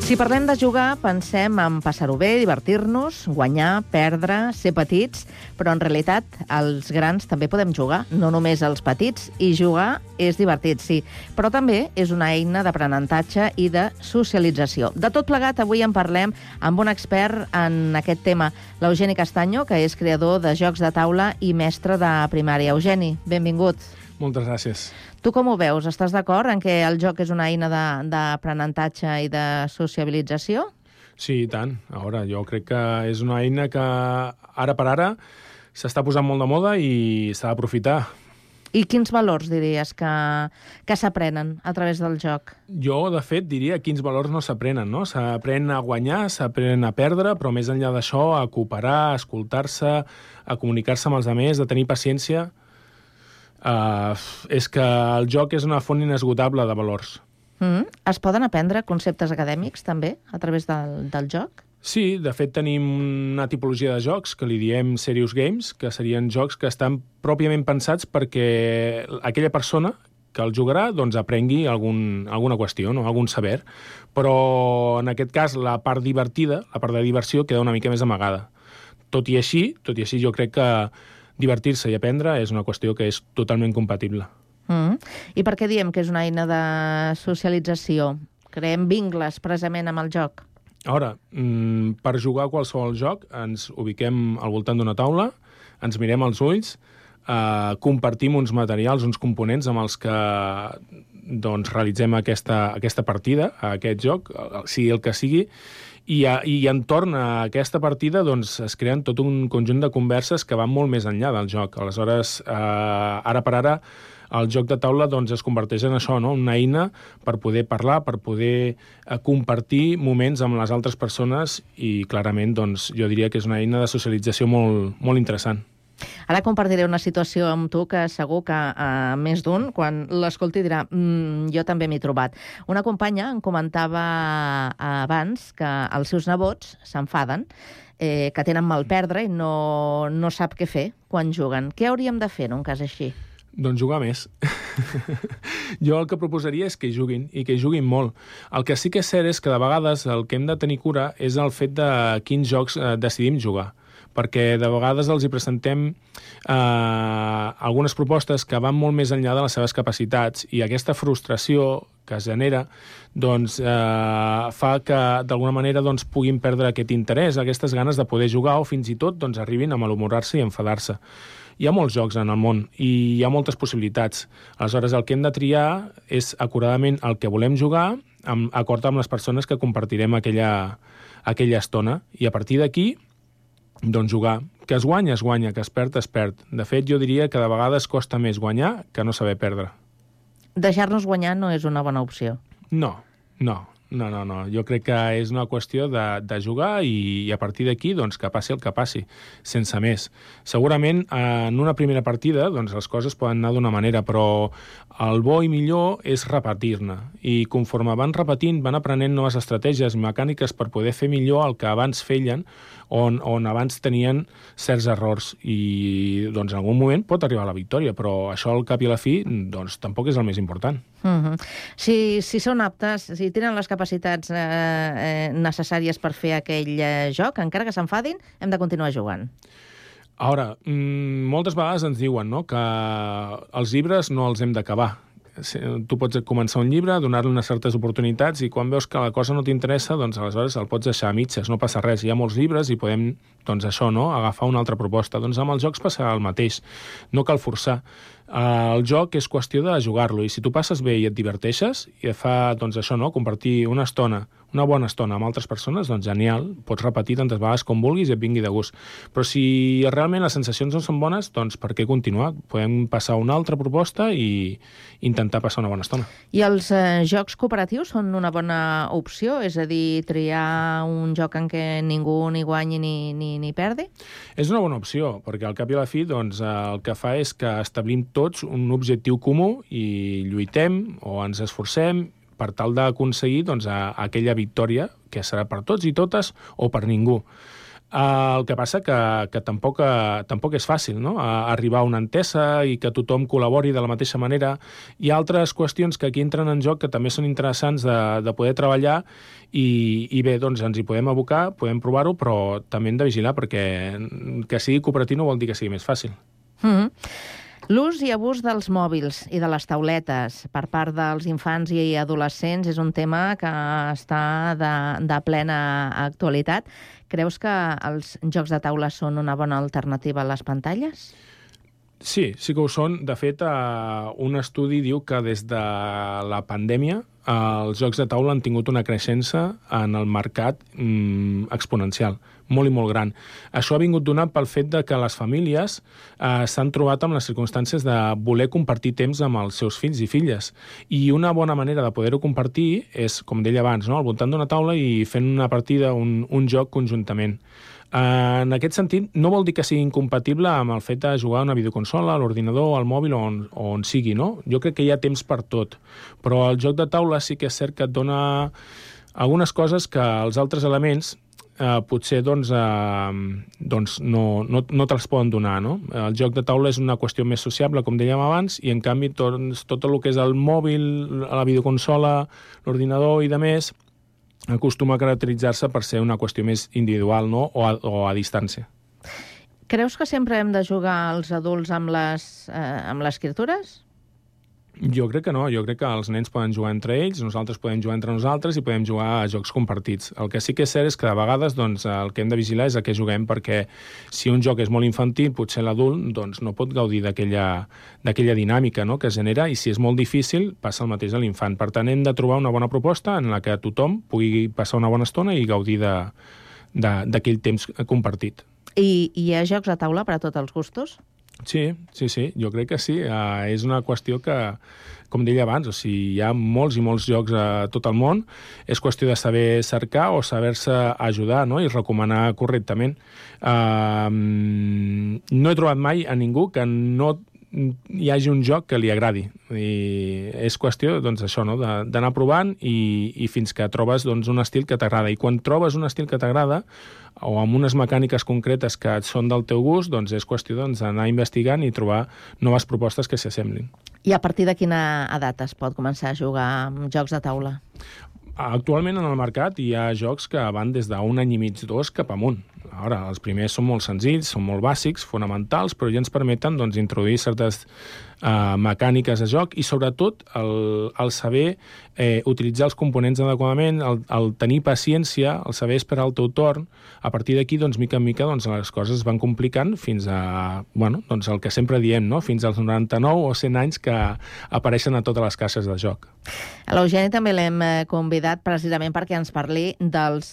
Si parlem de jugar, pensem en passar-ho bé, divertir-nos, guanyar, perdre, ser petits, però en realitat els grans també podem jugar, no només els petits, i jugar és divertit, sí, però també és una eina d'aprenentatge i de socialització. De tot plegat, avui en parlem amb un expert en aquest tema, l'Eugeni Castaño, que és creador de jocs de taula i mestre de primària. Eugeni, benvingut. Moltes gràcies. Tu com ho veus? Estàs d'acord en que el joc és una eina d'aprenentatge i de sociabilització? Sí, i tant. Ara, jo crec que és una eina que ara per ara s'està posant molt de moda i s'ha d'aprofitar. I quins valors diries que s'aprenen a través del joc? Jo, de fet, diria quins valors no s'aprenen, no? S'aprèn a guanyar, s'aprèn a perdre, però més enllà d'això, a cooperar, a escoltar-se, a comunicar-se amb els altres, a tenir paciència. És que el joc és una font inesgotable de valors. Es poden aprendre conceptes acadèmics, també, a través del joc? Sí, de fet tenim una tipologia de jocs que li diem serious games, que serien jocs que estan pròpiament pensats perquè aquella persona que el jugarà doncs, aprengui alguna qüestió, no? Algun saber. Però en aquest cas la part divertida, la part de diversió, queda una mica més amagada. tot i així jo crec que divertir-se i aprendre és una qüestió que és totalment compatible. I per què diem que és una eina de socialització? Creem vincles precisament amb el joc? Ara, per jugar a qualsevol joc ens ubiquem al voltant d'una taula, ens mirem als ulls, compartim uns materials, uns components amb els que doncs, realitzem aquesta partida, a aquest joc, sigui el que sigui, i entorn a aquesta partida doncs, es creen tot un conjunt de converses que van molt més enllà del joc. Aleshores, ara per ara, el joc de taula doncs, es converteix en això, no? Una eina per poder parlar, per poder compartir moments amb les altres persones i clarament doncs, jo diria que és una eina de socialització molt, molt interessant. Ara compartiré una situació amb tu que segur que més d'un, quan l'escolti, dirà jo també m'he trobat. Una companya em comentava abans que els seus nebots s'enfaden, que tenen mal perdre i no sap què fer quan juguen. Què hauríem de fer en un cas així? Doncs jugar més. Jo el que proposaria és que juguin, i que juguin molt. El que sí que és cert és que de vegades el que hem de tenir cura és el fet de quins jocs decidim jugar, perquè de vegades els hi presentem algunes propostes que van molt més enllà de les seves capacitats, i aquesta frustració que es genera doncs, fa que d'alguna manera doncs, puguin perdre aquest interès, aquestes ganes de poder jugar, o fins i tot doncs, arribin a malhumorar-se i enfadar-se. Hi ha molts jocs en el món i hi ha moltes possibilitats. Aleshores, el que hem de triar és acuradament el que volem jugar, acord amb les persones que compartirem aquella estona, i a partir d'aquí doncs jugar. Que es guanya, que es perd, es perd. De fet, jo diria que de vegades costa més guanyar que no saber perdre. Deixar-nos guanyar no és una bona opció. No. Jo crec que és una qüestió de jugar i a partir d'aquí doncs, que passi el que passi, sense més. Segurament en una primera partida doncs, les coses poden anar d'una manera, però el bo i millor és repetir-ne. I conforme van repetint, van aprenent noves estratègies mecàniques per poder fer millor el que abans feien, on abans tenien certs errors. I doncs, en algun moment pot arribar a la victòria, però això al cap i a la fi doncs, tampoc és el més important. Si són aptes, si tenen les capacitats necessàries per fer aquell joc, encara que s'enfadin, hem de continuar jugant. Ara, moltes vegades ens diuen, no?, que els llibres no els hem d'acabar. Tu pots començar un llibre, donar-li unes certes oportunitats, i quan veus que la cosa no t'interessa, doncs aleshores el pots deixar a mitges, no passa res. Hi ha molts llibres i podem, doncs això, no?, agafar una altra proposta. Doncs amb els jocs passa el mateix. No cal forçar. El joc és qüestió de jugar-lo, i si tu passes bé i et diverteixes, i et fa, doncs això, no?, compartir una bona estona amb altres persones, doncs genial, pots repetir tantes vegades com vulguis i et vingui de gust. Però si realment les sensacions no són bones, doncs per què continuar? Podem passar a una altra proposta i intentar passar una bona estona. I els jocs cooperatius són una bona opció? És a dir, triar un joc en què ningú ni guanyi ni perdi? És una bona opció, perquè al cap i a la fi doncs, el que fa és que establim tots un objectiu comú i lluitem o ens esforcem per tal d'aconseguir doncs, aquella victòria que serà per tots i totes o per ningú. El que passa que tampoc és fàcil, no?, arribar a una entesa i que tothom col·labori de la mateixa manera. Hi ha altres qüestions que aquí entren en joc que també són interessants de poder treballar i bé, doncs ens hi podem abocar, podem provar-ho, però també hem de vigilar perquè que sigui cooperatiu no vol dir que sigui més fàcil. L'ús i abús dels mòbils i de les tauletes per part dels infants i adolescents és un tema que està de plena actualitat. Creus que els jocs de taula són una bona alternativa a les pantalles? Sí que ho són. De fet, un estudi diu que des de la pandèmia els jocs de taula han tingut una creixença en el mercat exponencial, molt i molt gran. Això ha vingut donat pel fet de que les famílies s'han trobat amb les circumstàncies de voler compartir temps amb els seus fills i filles. I una bona manera de poder-ho compartir és, com deia abans, no?, al voltant d'una taula i fent una partida, un joc conjuntament. En aquest sentit, no vol dir que sigui incompatible amb el fet de jugar a una videoconsola, a l'ordinador, al mòbil o on sigui, no? Jo crec que hi ha temps per tot, però el joc de taula sí que és cert que et dona algunes coses que els altres elements potser doncs no te'ls poden donar, no? El joc de taula és una qüestió més sociable, com dèiem abans, i en canvi tot el que és el mòbil, la videoconsola, l'ordinador i demés, acostuma a caracteritzar-se per ser una qüestió més individual, no?, o a distància. Creus que sempre hem de jugar els adults amb les criatures? Jo crec que no, jo crec que els nens poden jugar entre ells, nosaltres podem jugar entre nosaltres i podem jugar a jocs compartits. El que sí que és cert és que de vegades doncs, el que hem de vigilar és a què juguem, perquè si un joc és molt infantil, potser l'adult doncs, no pot gaudir d'aquella dinàmica, no?, que es genera, i si és molt difícil, passa el mateix a l'infant. Per tant, hem de trobar una bona proposta en la que tothom pugui passar una bona estona i gaudir d'aquell temps compartit. I hi ha jocs a taula per a tots els gustos? Sí, jo crec que sí. És una qüestió que, com deia abans, o sigui, hi ha molts i molts jocs a tot el món. És qüestió de saber cercar o saber-se ajudar, no?, i recomanar correctament. No he trobat mai a ningú que no hi hagi un joc que li agradi. I és qüestió, doncs, això, no?, d'anar provant i fins que trobes doncs, un estil que t'agrada. I quan trobes un estil que t'agrada, o amb unes mecàniques concretes que són del teu gust, doncs és qüestió d'anar investigant i trobar noves propostes que s'assemblin. I a partir de quina edat es pot començar a jugar amb jocs de taula? Actualment en el mercat hi ha jocs que van des d'un any i mig, 2, cap amunt. Ara, els primers són molt senzills, són molt bàsics, fonamentals, però ja ens permeten doncs, introduir certes mecàniques de joc i, sobretot, el saber utilitzar els components adequadament, el tenir paciència, el saber esperar el teu torn. A partir d'aquí, doncs, mica en mica, doncs, les coses es van complicant fins a, bueno, doncs, el que sempre diem, no?, fins als 99 o 100 anys que apareixen a totes les caixes de joc. A l'Eugeni també l'hem convidat precisament perquè ens parli dels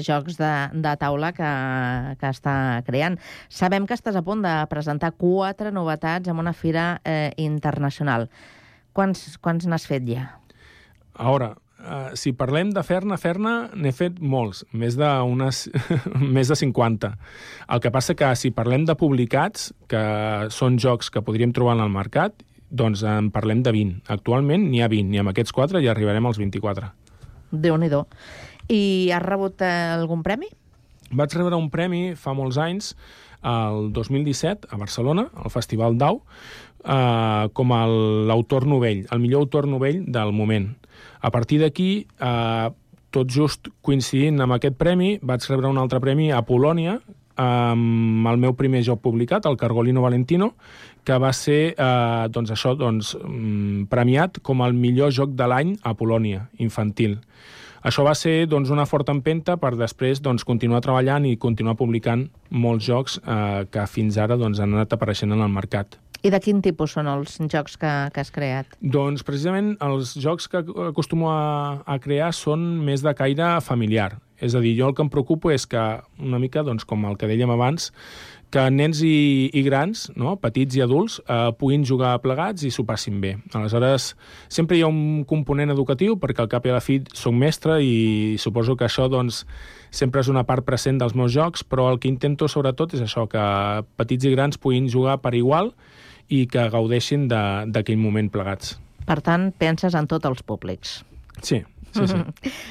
jocs de taula que està creant. Sabem que estàs a punt de presentar 4 novetats en una fira internacional. Quants n'has fet ja? A veure, si parlem de fer-ne, n'he fet molts, més de 50. El que passa que si parlem de publicats, que són jocs que podríem trobar en el mercat, doncs en parlem de 20. Actualment n'hi ha 20, i amb aquests 4 ja arribarem als 24. Déu-n'hi-do. I has rebut algun premi? Vaig rebre un premi fa molts anys, el 2017, a Barcelona, al Festival DAU, com l'autor novell, el millor autor novell del moment. A partir d'aquí, tot just coincidint amb aquest premi, vaig rebre un altre premi a Polònia, amb el meu primer joc publicat, el Cargolino Valentino, que va ser premiat com el millor joc de l'any a Polònia, infantil. Això va ser una forta empenta per després continuar treballant i continuar publicant molts jocs que fins ara han anat apareixent en el mercat. I de quin tipus són els jocs que has creat? Doncs precisament els jocs que acostumo a crear són més de caire familiar. És a dir, jo el que em preocupo és que, una mica com el que dèiem abans, que nens i grans, no?, petits i adults, puguin jugar plegats i s'ho passin bé. Aleshores, sempre hi ha un component educatiu, perquè al cap i a la fi soc mestre i suposo que això sempre és una part present dels meus jocs, però el que intento sobretot és això, que petits i grans puguin jugar per igual i que gaudeixin d'aquell moment plegats. Per tant, penses en tots els públics. Sí.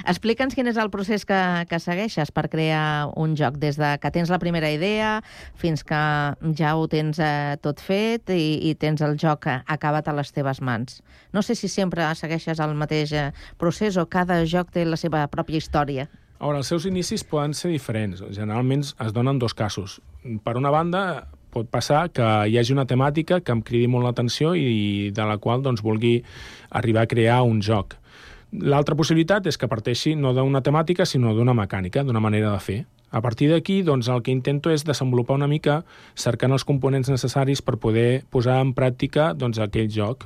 Explica'ns quin és el procés que segueixes per crear un joc, des de que tens la primera idea fins que ja ho tens tot fet i tens el joc acabat a les teves mans. No sé si sempre segueixes el mateix procés o cada joc té la seva pròpia història. A veure, els seus inicis poden ser diferents. Generalment es donen dos casos. Per una banda, pot passar que hi hagi una temàtica que em cridi molt l'atenció i de la qual vulgui arribar a crear un joc. L'altra possibilitat és que parteixi no d'una temàtica, sinó d'una mecànica, d'una manera de fer. A partir d'aquí, el que intento és desenvolupar una mica cercant els components necessaris per poder posar en pràctica aquell joc.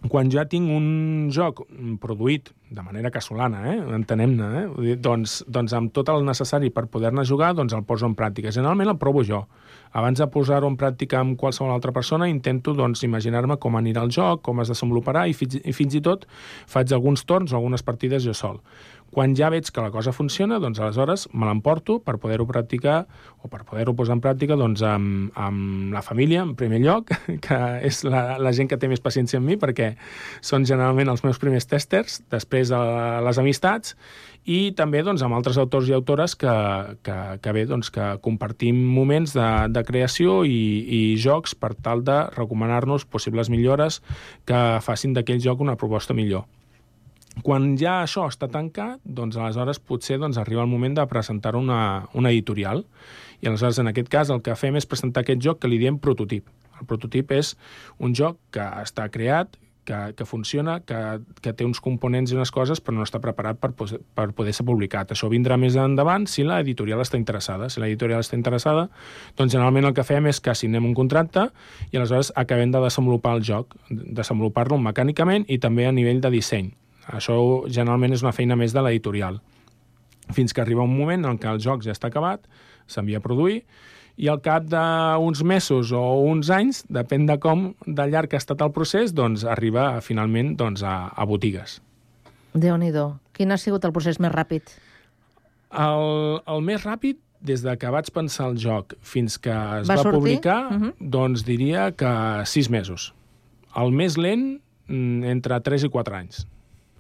Quan ja tinc un joc produït de manera casolana, entenem-ne, doncs amb tot el necessari per poder-ne jugar, el poso en pràctica. Generalment el provo jo. Abans de posar-ho en pràctica amb qualsevol altra persona, intento imaginar-me com anirà el joc, com es desenvoluparà, i fins i tot faig alguns torns o algunes partides jo sol. Quan ja veig que la cosa funciona, aleshores me l'emporto per poder-ho practicar o per poder-ho posar en pràctica amb la família, en primer lloc, que és la gent que té més paciència amb mi, perquè són generalment els meus primers testers, després les amistats, i també amb altres autors i autores que compartim moments de creació i jocs per tal de recomanar-nos possibles millores que facin d'aquell joc una proposta millor. Quan ja això està tancat, doncs aleshores potser arriba el moment de presentar una editorial. I aleshores, en aquest cas, el que fem és presentar aquest joc que li diem prototip. El prototip és un joc que està creat, que funciona, que té uns components i unes coses, però no està preparat per poder ser publicat. Això vindrà més endavant si l'editorial està interessada. Si l'editorial està interessada, doncs generalment el que fem és que signem un contracte i aleshores acabem de desenvolupar el joc, desenvolupar-lo mecànicament i també a nivell de disseny. Això generalment és una feina més de l'editorial. Fins que arriba un moment en què el joc ja està acabat, s'envia a produir, i al cap d'uns mesos o uns anys, depèn de de llarg ha estat el procés, doncs arriba finalment a botigues. Déu-n'hi-do. Quin ha sigut el procés més ràpid? El més ràpid, des de que vaig pensar el joc fins que es va publicar, doncs diria que 6 mesos. El més lent, entre 3 i 4 anys.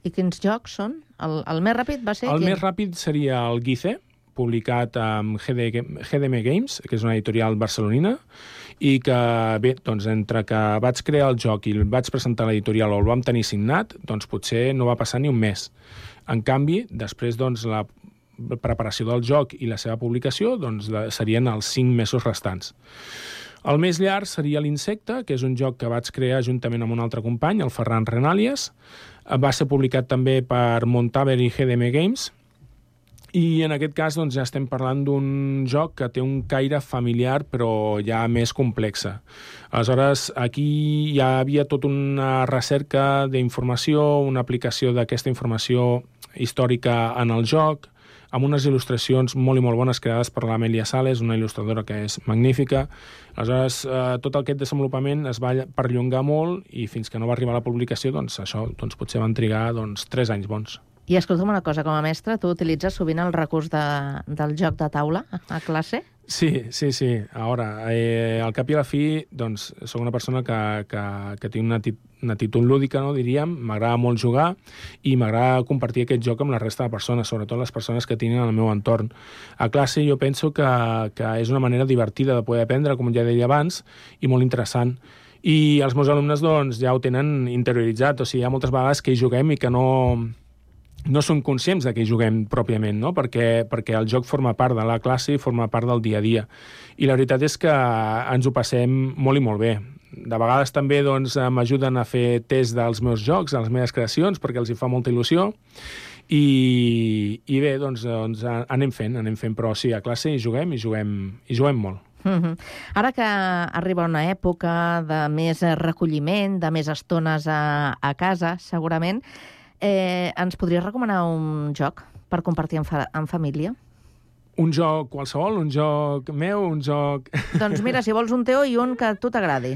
I quins jocs són? El més ràpid va ser... El més ràpid seria el Guice, publicat amb GDM Games, que és una editorial barcelonina, i que, bé, doncs, entre que vaig crear el joc i el vaig presentar a l'editorial o el vam tenir signat, doncs potser no va passar ni un mes. En canvi, després, doncs, la preparació del joc i la seva publicació doncs, serien els 5 mesos restants. El més llarg seria l'Insecte, que és un joc que vaig crear juntament amb un altre company, el Ferran Renàlies. Va ser publicat també per Montaver i GDM Games, i en aquest cas doncs, ja estem parlant d'un joc que té un caire familiar però ja més complexa. Aleshores, aquí ja havia tota una recerca d'informació, una aplicació d'aquesta informació històrica en el joc, amb unes il·lustracions molt i molt bones creades per l'Amèlia Sales, una il·lustradora que és magnífica. Aleshores, tot aquest desenvolupament es va perllongar molt i fins que no va arribar a la publicació, doncs això potser van trigar 3 anys bons. I escolta'm una cosa, com a mestre, tu utilitzes sovint el recurs del joc de taula a classe? Sí. A veure, al cap i a la fi, doncs, soc una persona que té una actitud lúdica, no, diríem. M'agrada molt jugar i m'agrada compartir aquest joc amb la resta de persones, sobretot les persones que tinguin al meu entorn. A classe jo penso que és una manera divertida de poder aprendre, com ja deia abans, i molt interessant. I els meus alumnes doncs, ja ho tenen interioritzat, o sigui, hi ha moltes vegades que hi juguem i que no són conscients de que hi juguem pròpiament, no? perquè el joc forma part de la classe i forma part del dia a dia. I la veritat és que ens ho passem molt i molt bé. De vegades també doncs, m'ajuden a fer test dels meus jocs, de les meves creacions, perquè els hi fa molta il·lusió. I bé, doncs anem fent, però sí, a classe hi juguem molt. Ara que arriba una època de més recolliment, de més estones a casa, segurament, ens podries recomanar un joc per compartir en família? Un joc qualsevol? Un joc meu? Un joc... Doncs mira, si vols un teu i un que a tu t'agradi.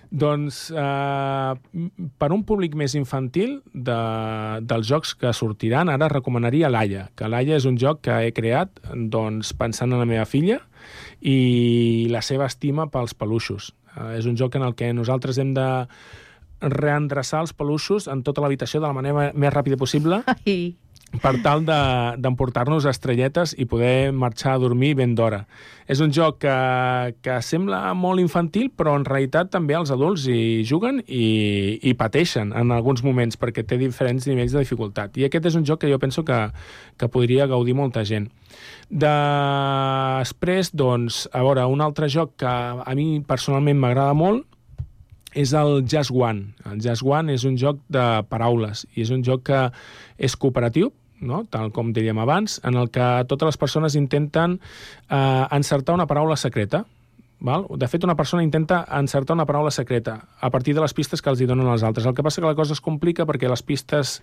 Doncs per un públic més infantil dels jocs que sortiran, ara recomanaria l'Aya, que l'Aya és un joc que he creat doncs, pensant en la meva filla i la seva estima pels peluixos. És un joc en el que nosaltres hem de reendreçar els peluixos en tota l'habitació de la manera més ràpida possible per tal d'emportar-nos estrelletes i poder marxar a dormir ben d'hora. És un joc que sembla molt infantil, però en realitat també els adults hi juguen i pateixen en alguns moments perquè té diferents nivells de dificultat. I aquest és un joc que jo penso que podria gaudir molta gent. Després, doncs, a veure, un altre joc que a mi personalment m'agrada molt és el Just One. El Just One és un joc de paraules i és un joc que és cooperatiu, no? Tal com dèiem abans, en el que totes les persones intenten encertar una paraula secreta. Val? De fet, una persona intenta encertar una paraula secreta a partir de les pistes que els hi donen els altres. El que passa que la cosa es complica perquè les pistes,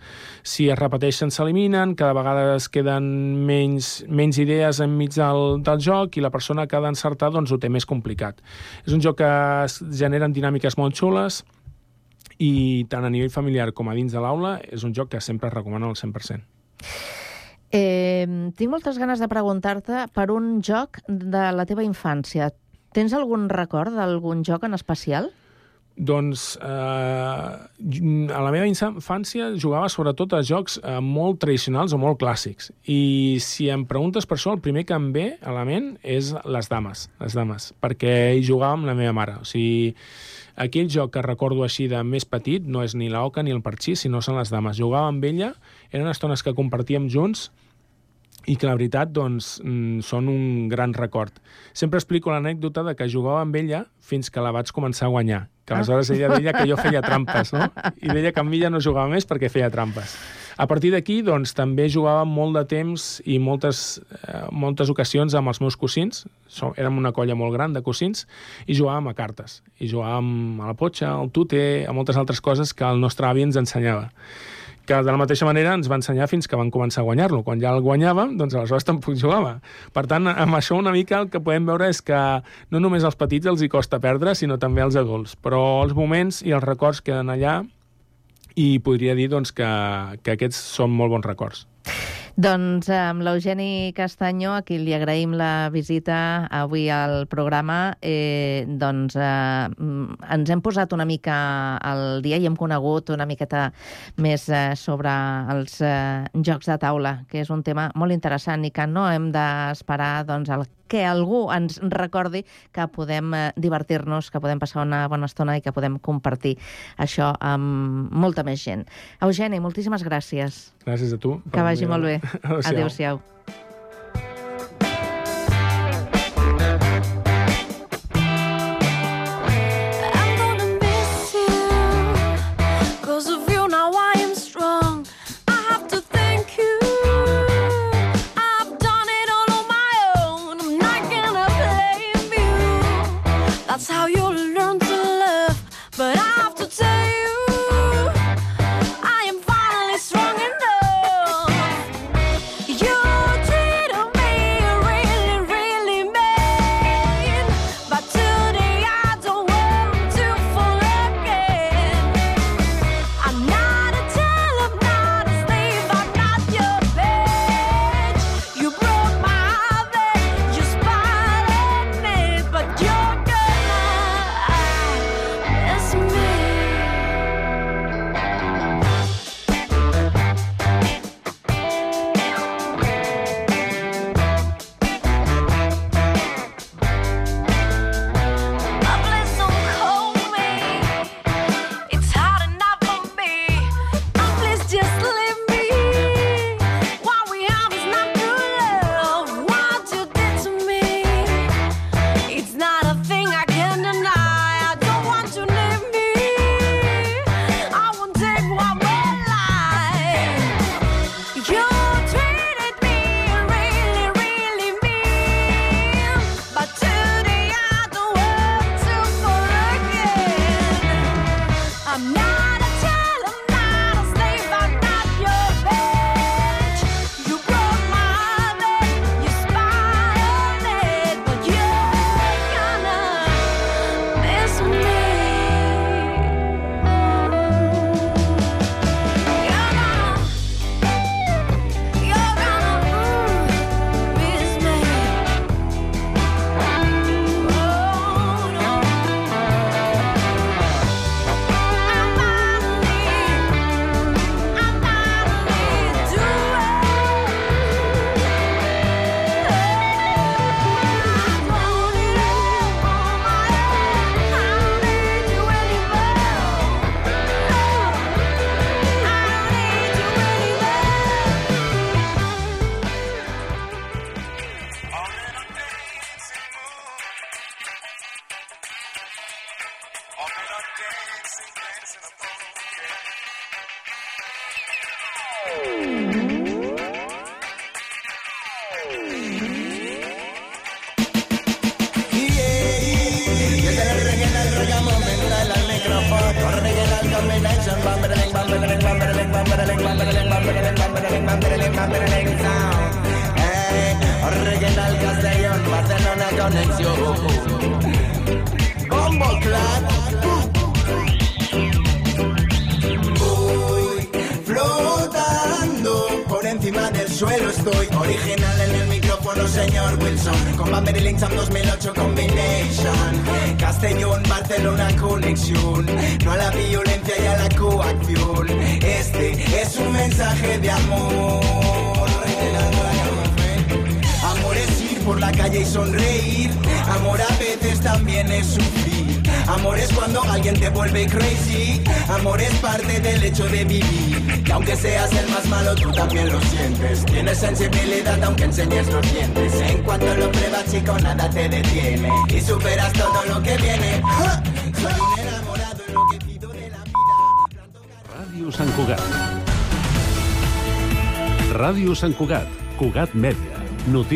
si es repeteixen, s'eliminen, cada vegada es queden menys idees enmig del joc i la persona que ha d'encertar doncs, ho té més complicat. És un joc que es generen dinàmiques molt xules i tant a nivell familiar com a dins de l'aula és un joc que sempre es recomana al 100%. Tinc moltes ganes de preguntar-te per un joc de la teva infància. Tens algun record d'algun joc en especial? Doncs a la meva infància jugava sobretot a jocs molt tradicionals o molt clàssics. I si em preguntes per això, el primer que em ve a la ment és les dames, perquè hi jugava amb la meva mare. O sigui, Aquell joc que recordo així de més petit no és ni l'oca ni el parxís, sinó són les dames. Jugava amb ella, eren estones que compartíem junts i que la veritat doncs, són un gran record. Sempre explico l'anècdota de que jugava amb ella fins que la vaig començar a guanyar, que aleshores ella deia que jo feia trampes, no? I deia que amb ella no jugava més perquè feia trampes. A partir d'aquí, doncs, també jugava molt de temps i moltes ocasions amb els meus cosins. Érem una colla molt gran de cosins i jugàvem a cartes. I jugàvem a la potxa, al tute, a moltes altres coses que el nostre avi ens ensenyava. Que de la mateixa manera ens va ensenyar fins que van començar a guanyar-lo. Quan ja el guanyàvem, doncs aleshores tampoc jugava. Per tant, amb això una mica el que podem veure és que no només als petits els hi costa perdre, sinó també als adults. Però els moments i els records queden allà i podria dir doncs, que aquests són molt bons records. Doncs amb l'Eugeni Castanyó, a qui li agraïm la visita avui al programa, ens hem posat una mica al dia i hem conegut una miqueta més sobre els jocs de taula, que és un tema molt interessant i que no hem d'esperar el que algú ens recordi que podem divertir-nos, que podem passar una bona estona i que podem compartir això amb molta més gent. Eugeni, moltíssimes gràcies. Gràcies a tu. Que vagi molt bé. Adéu-siau. That's how you'll learn to love. But I have to tell you, I am finally strong enough. You treated me really, really mean, but today I don't want to fall again. I'm not a child, I'm not a slave, I'm not your bitch. You broke my heart, you spied on me, but you're Original Castellón, Barcelona conexión. Combo Clan. Voy flotando por encima del suelo, estoy original en el micrófono, señor Wilson. Con Bamber y Linksam 2008 Combination. Castellón, Barcelona conexión. No a la violencia y a la coacción. Este es un mensaje de amor. Amor es ir por la calle y sonreír. Amor a veces también es sufrir. Amor es cuando alguien te vuelve crazy. Amor es parte del hecho de vivir. Y aunque seas el más malo, tú también lo sientes. Tienes sensibilidad aunque enseñes los dientes. En cuanto lo pruebas, chico, nada te detiene. Y superas todo lo que viene. ¡Ja! Soy un enamorado en lo que pido de la vida. Ràdio Sant Cugat. Ràdio Sant Cugat. Cugat Mèdia. Notícies.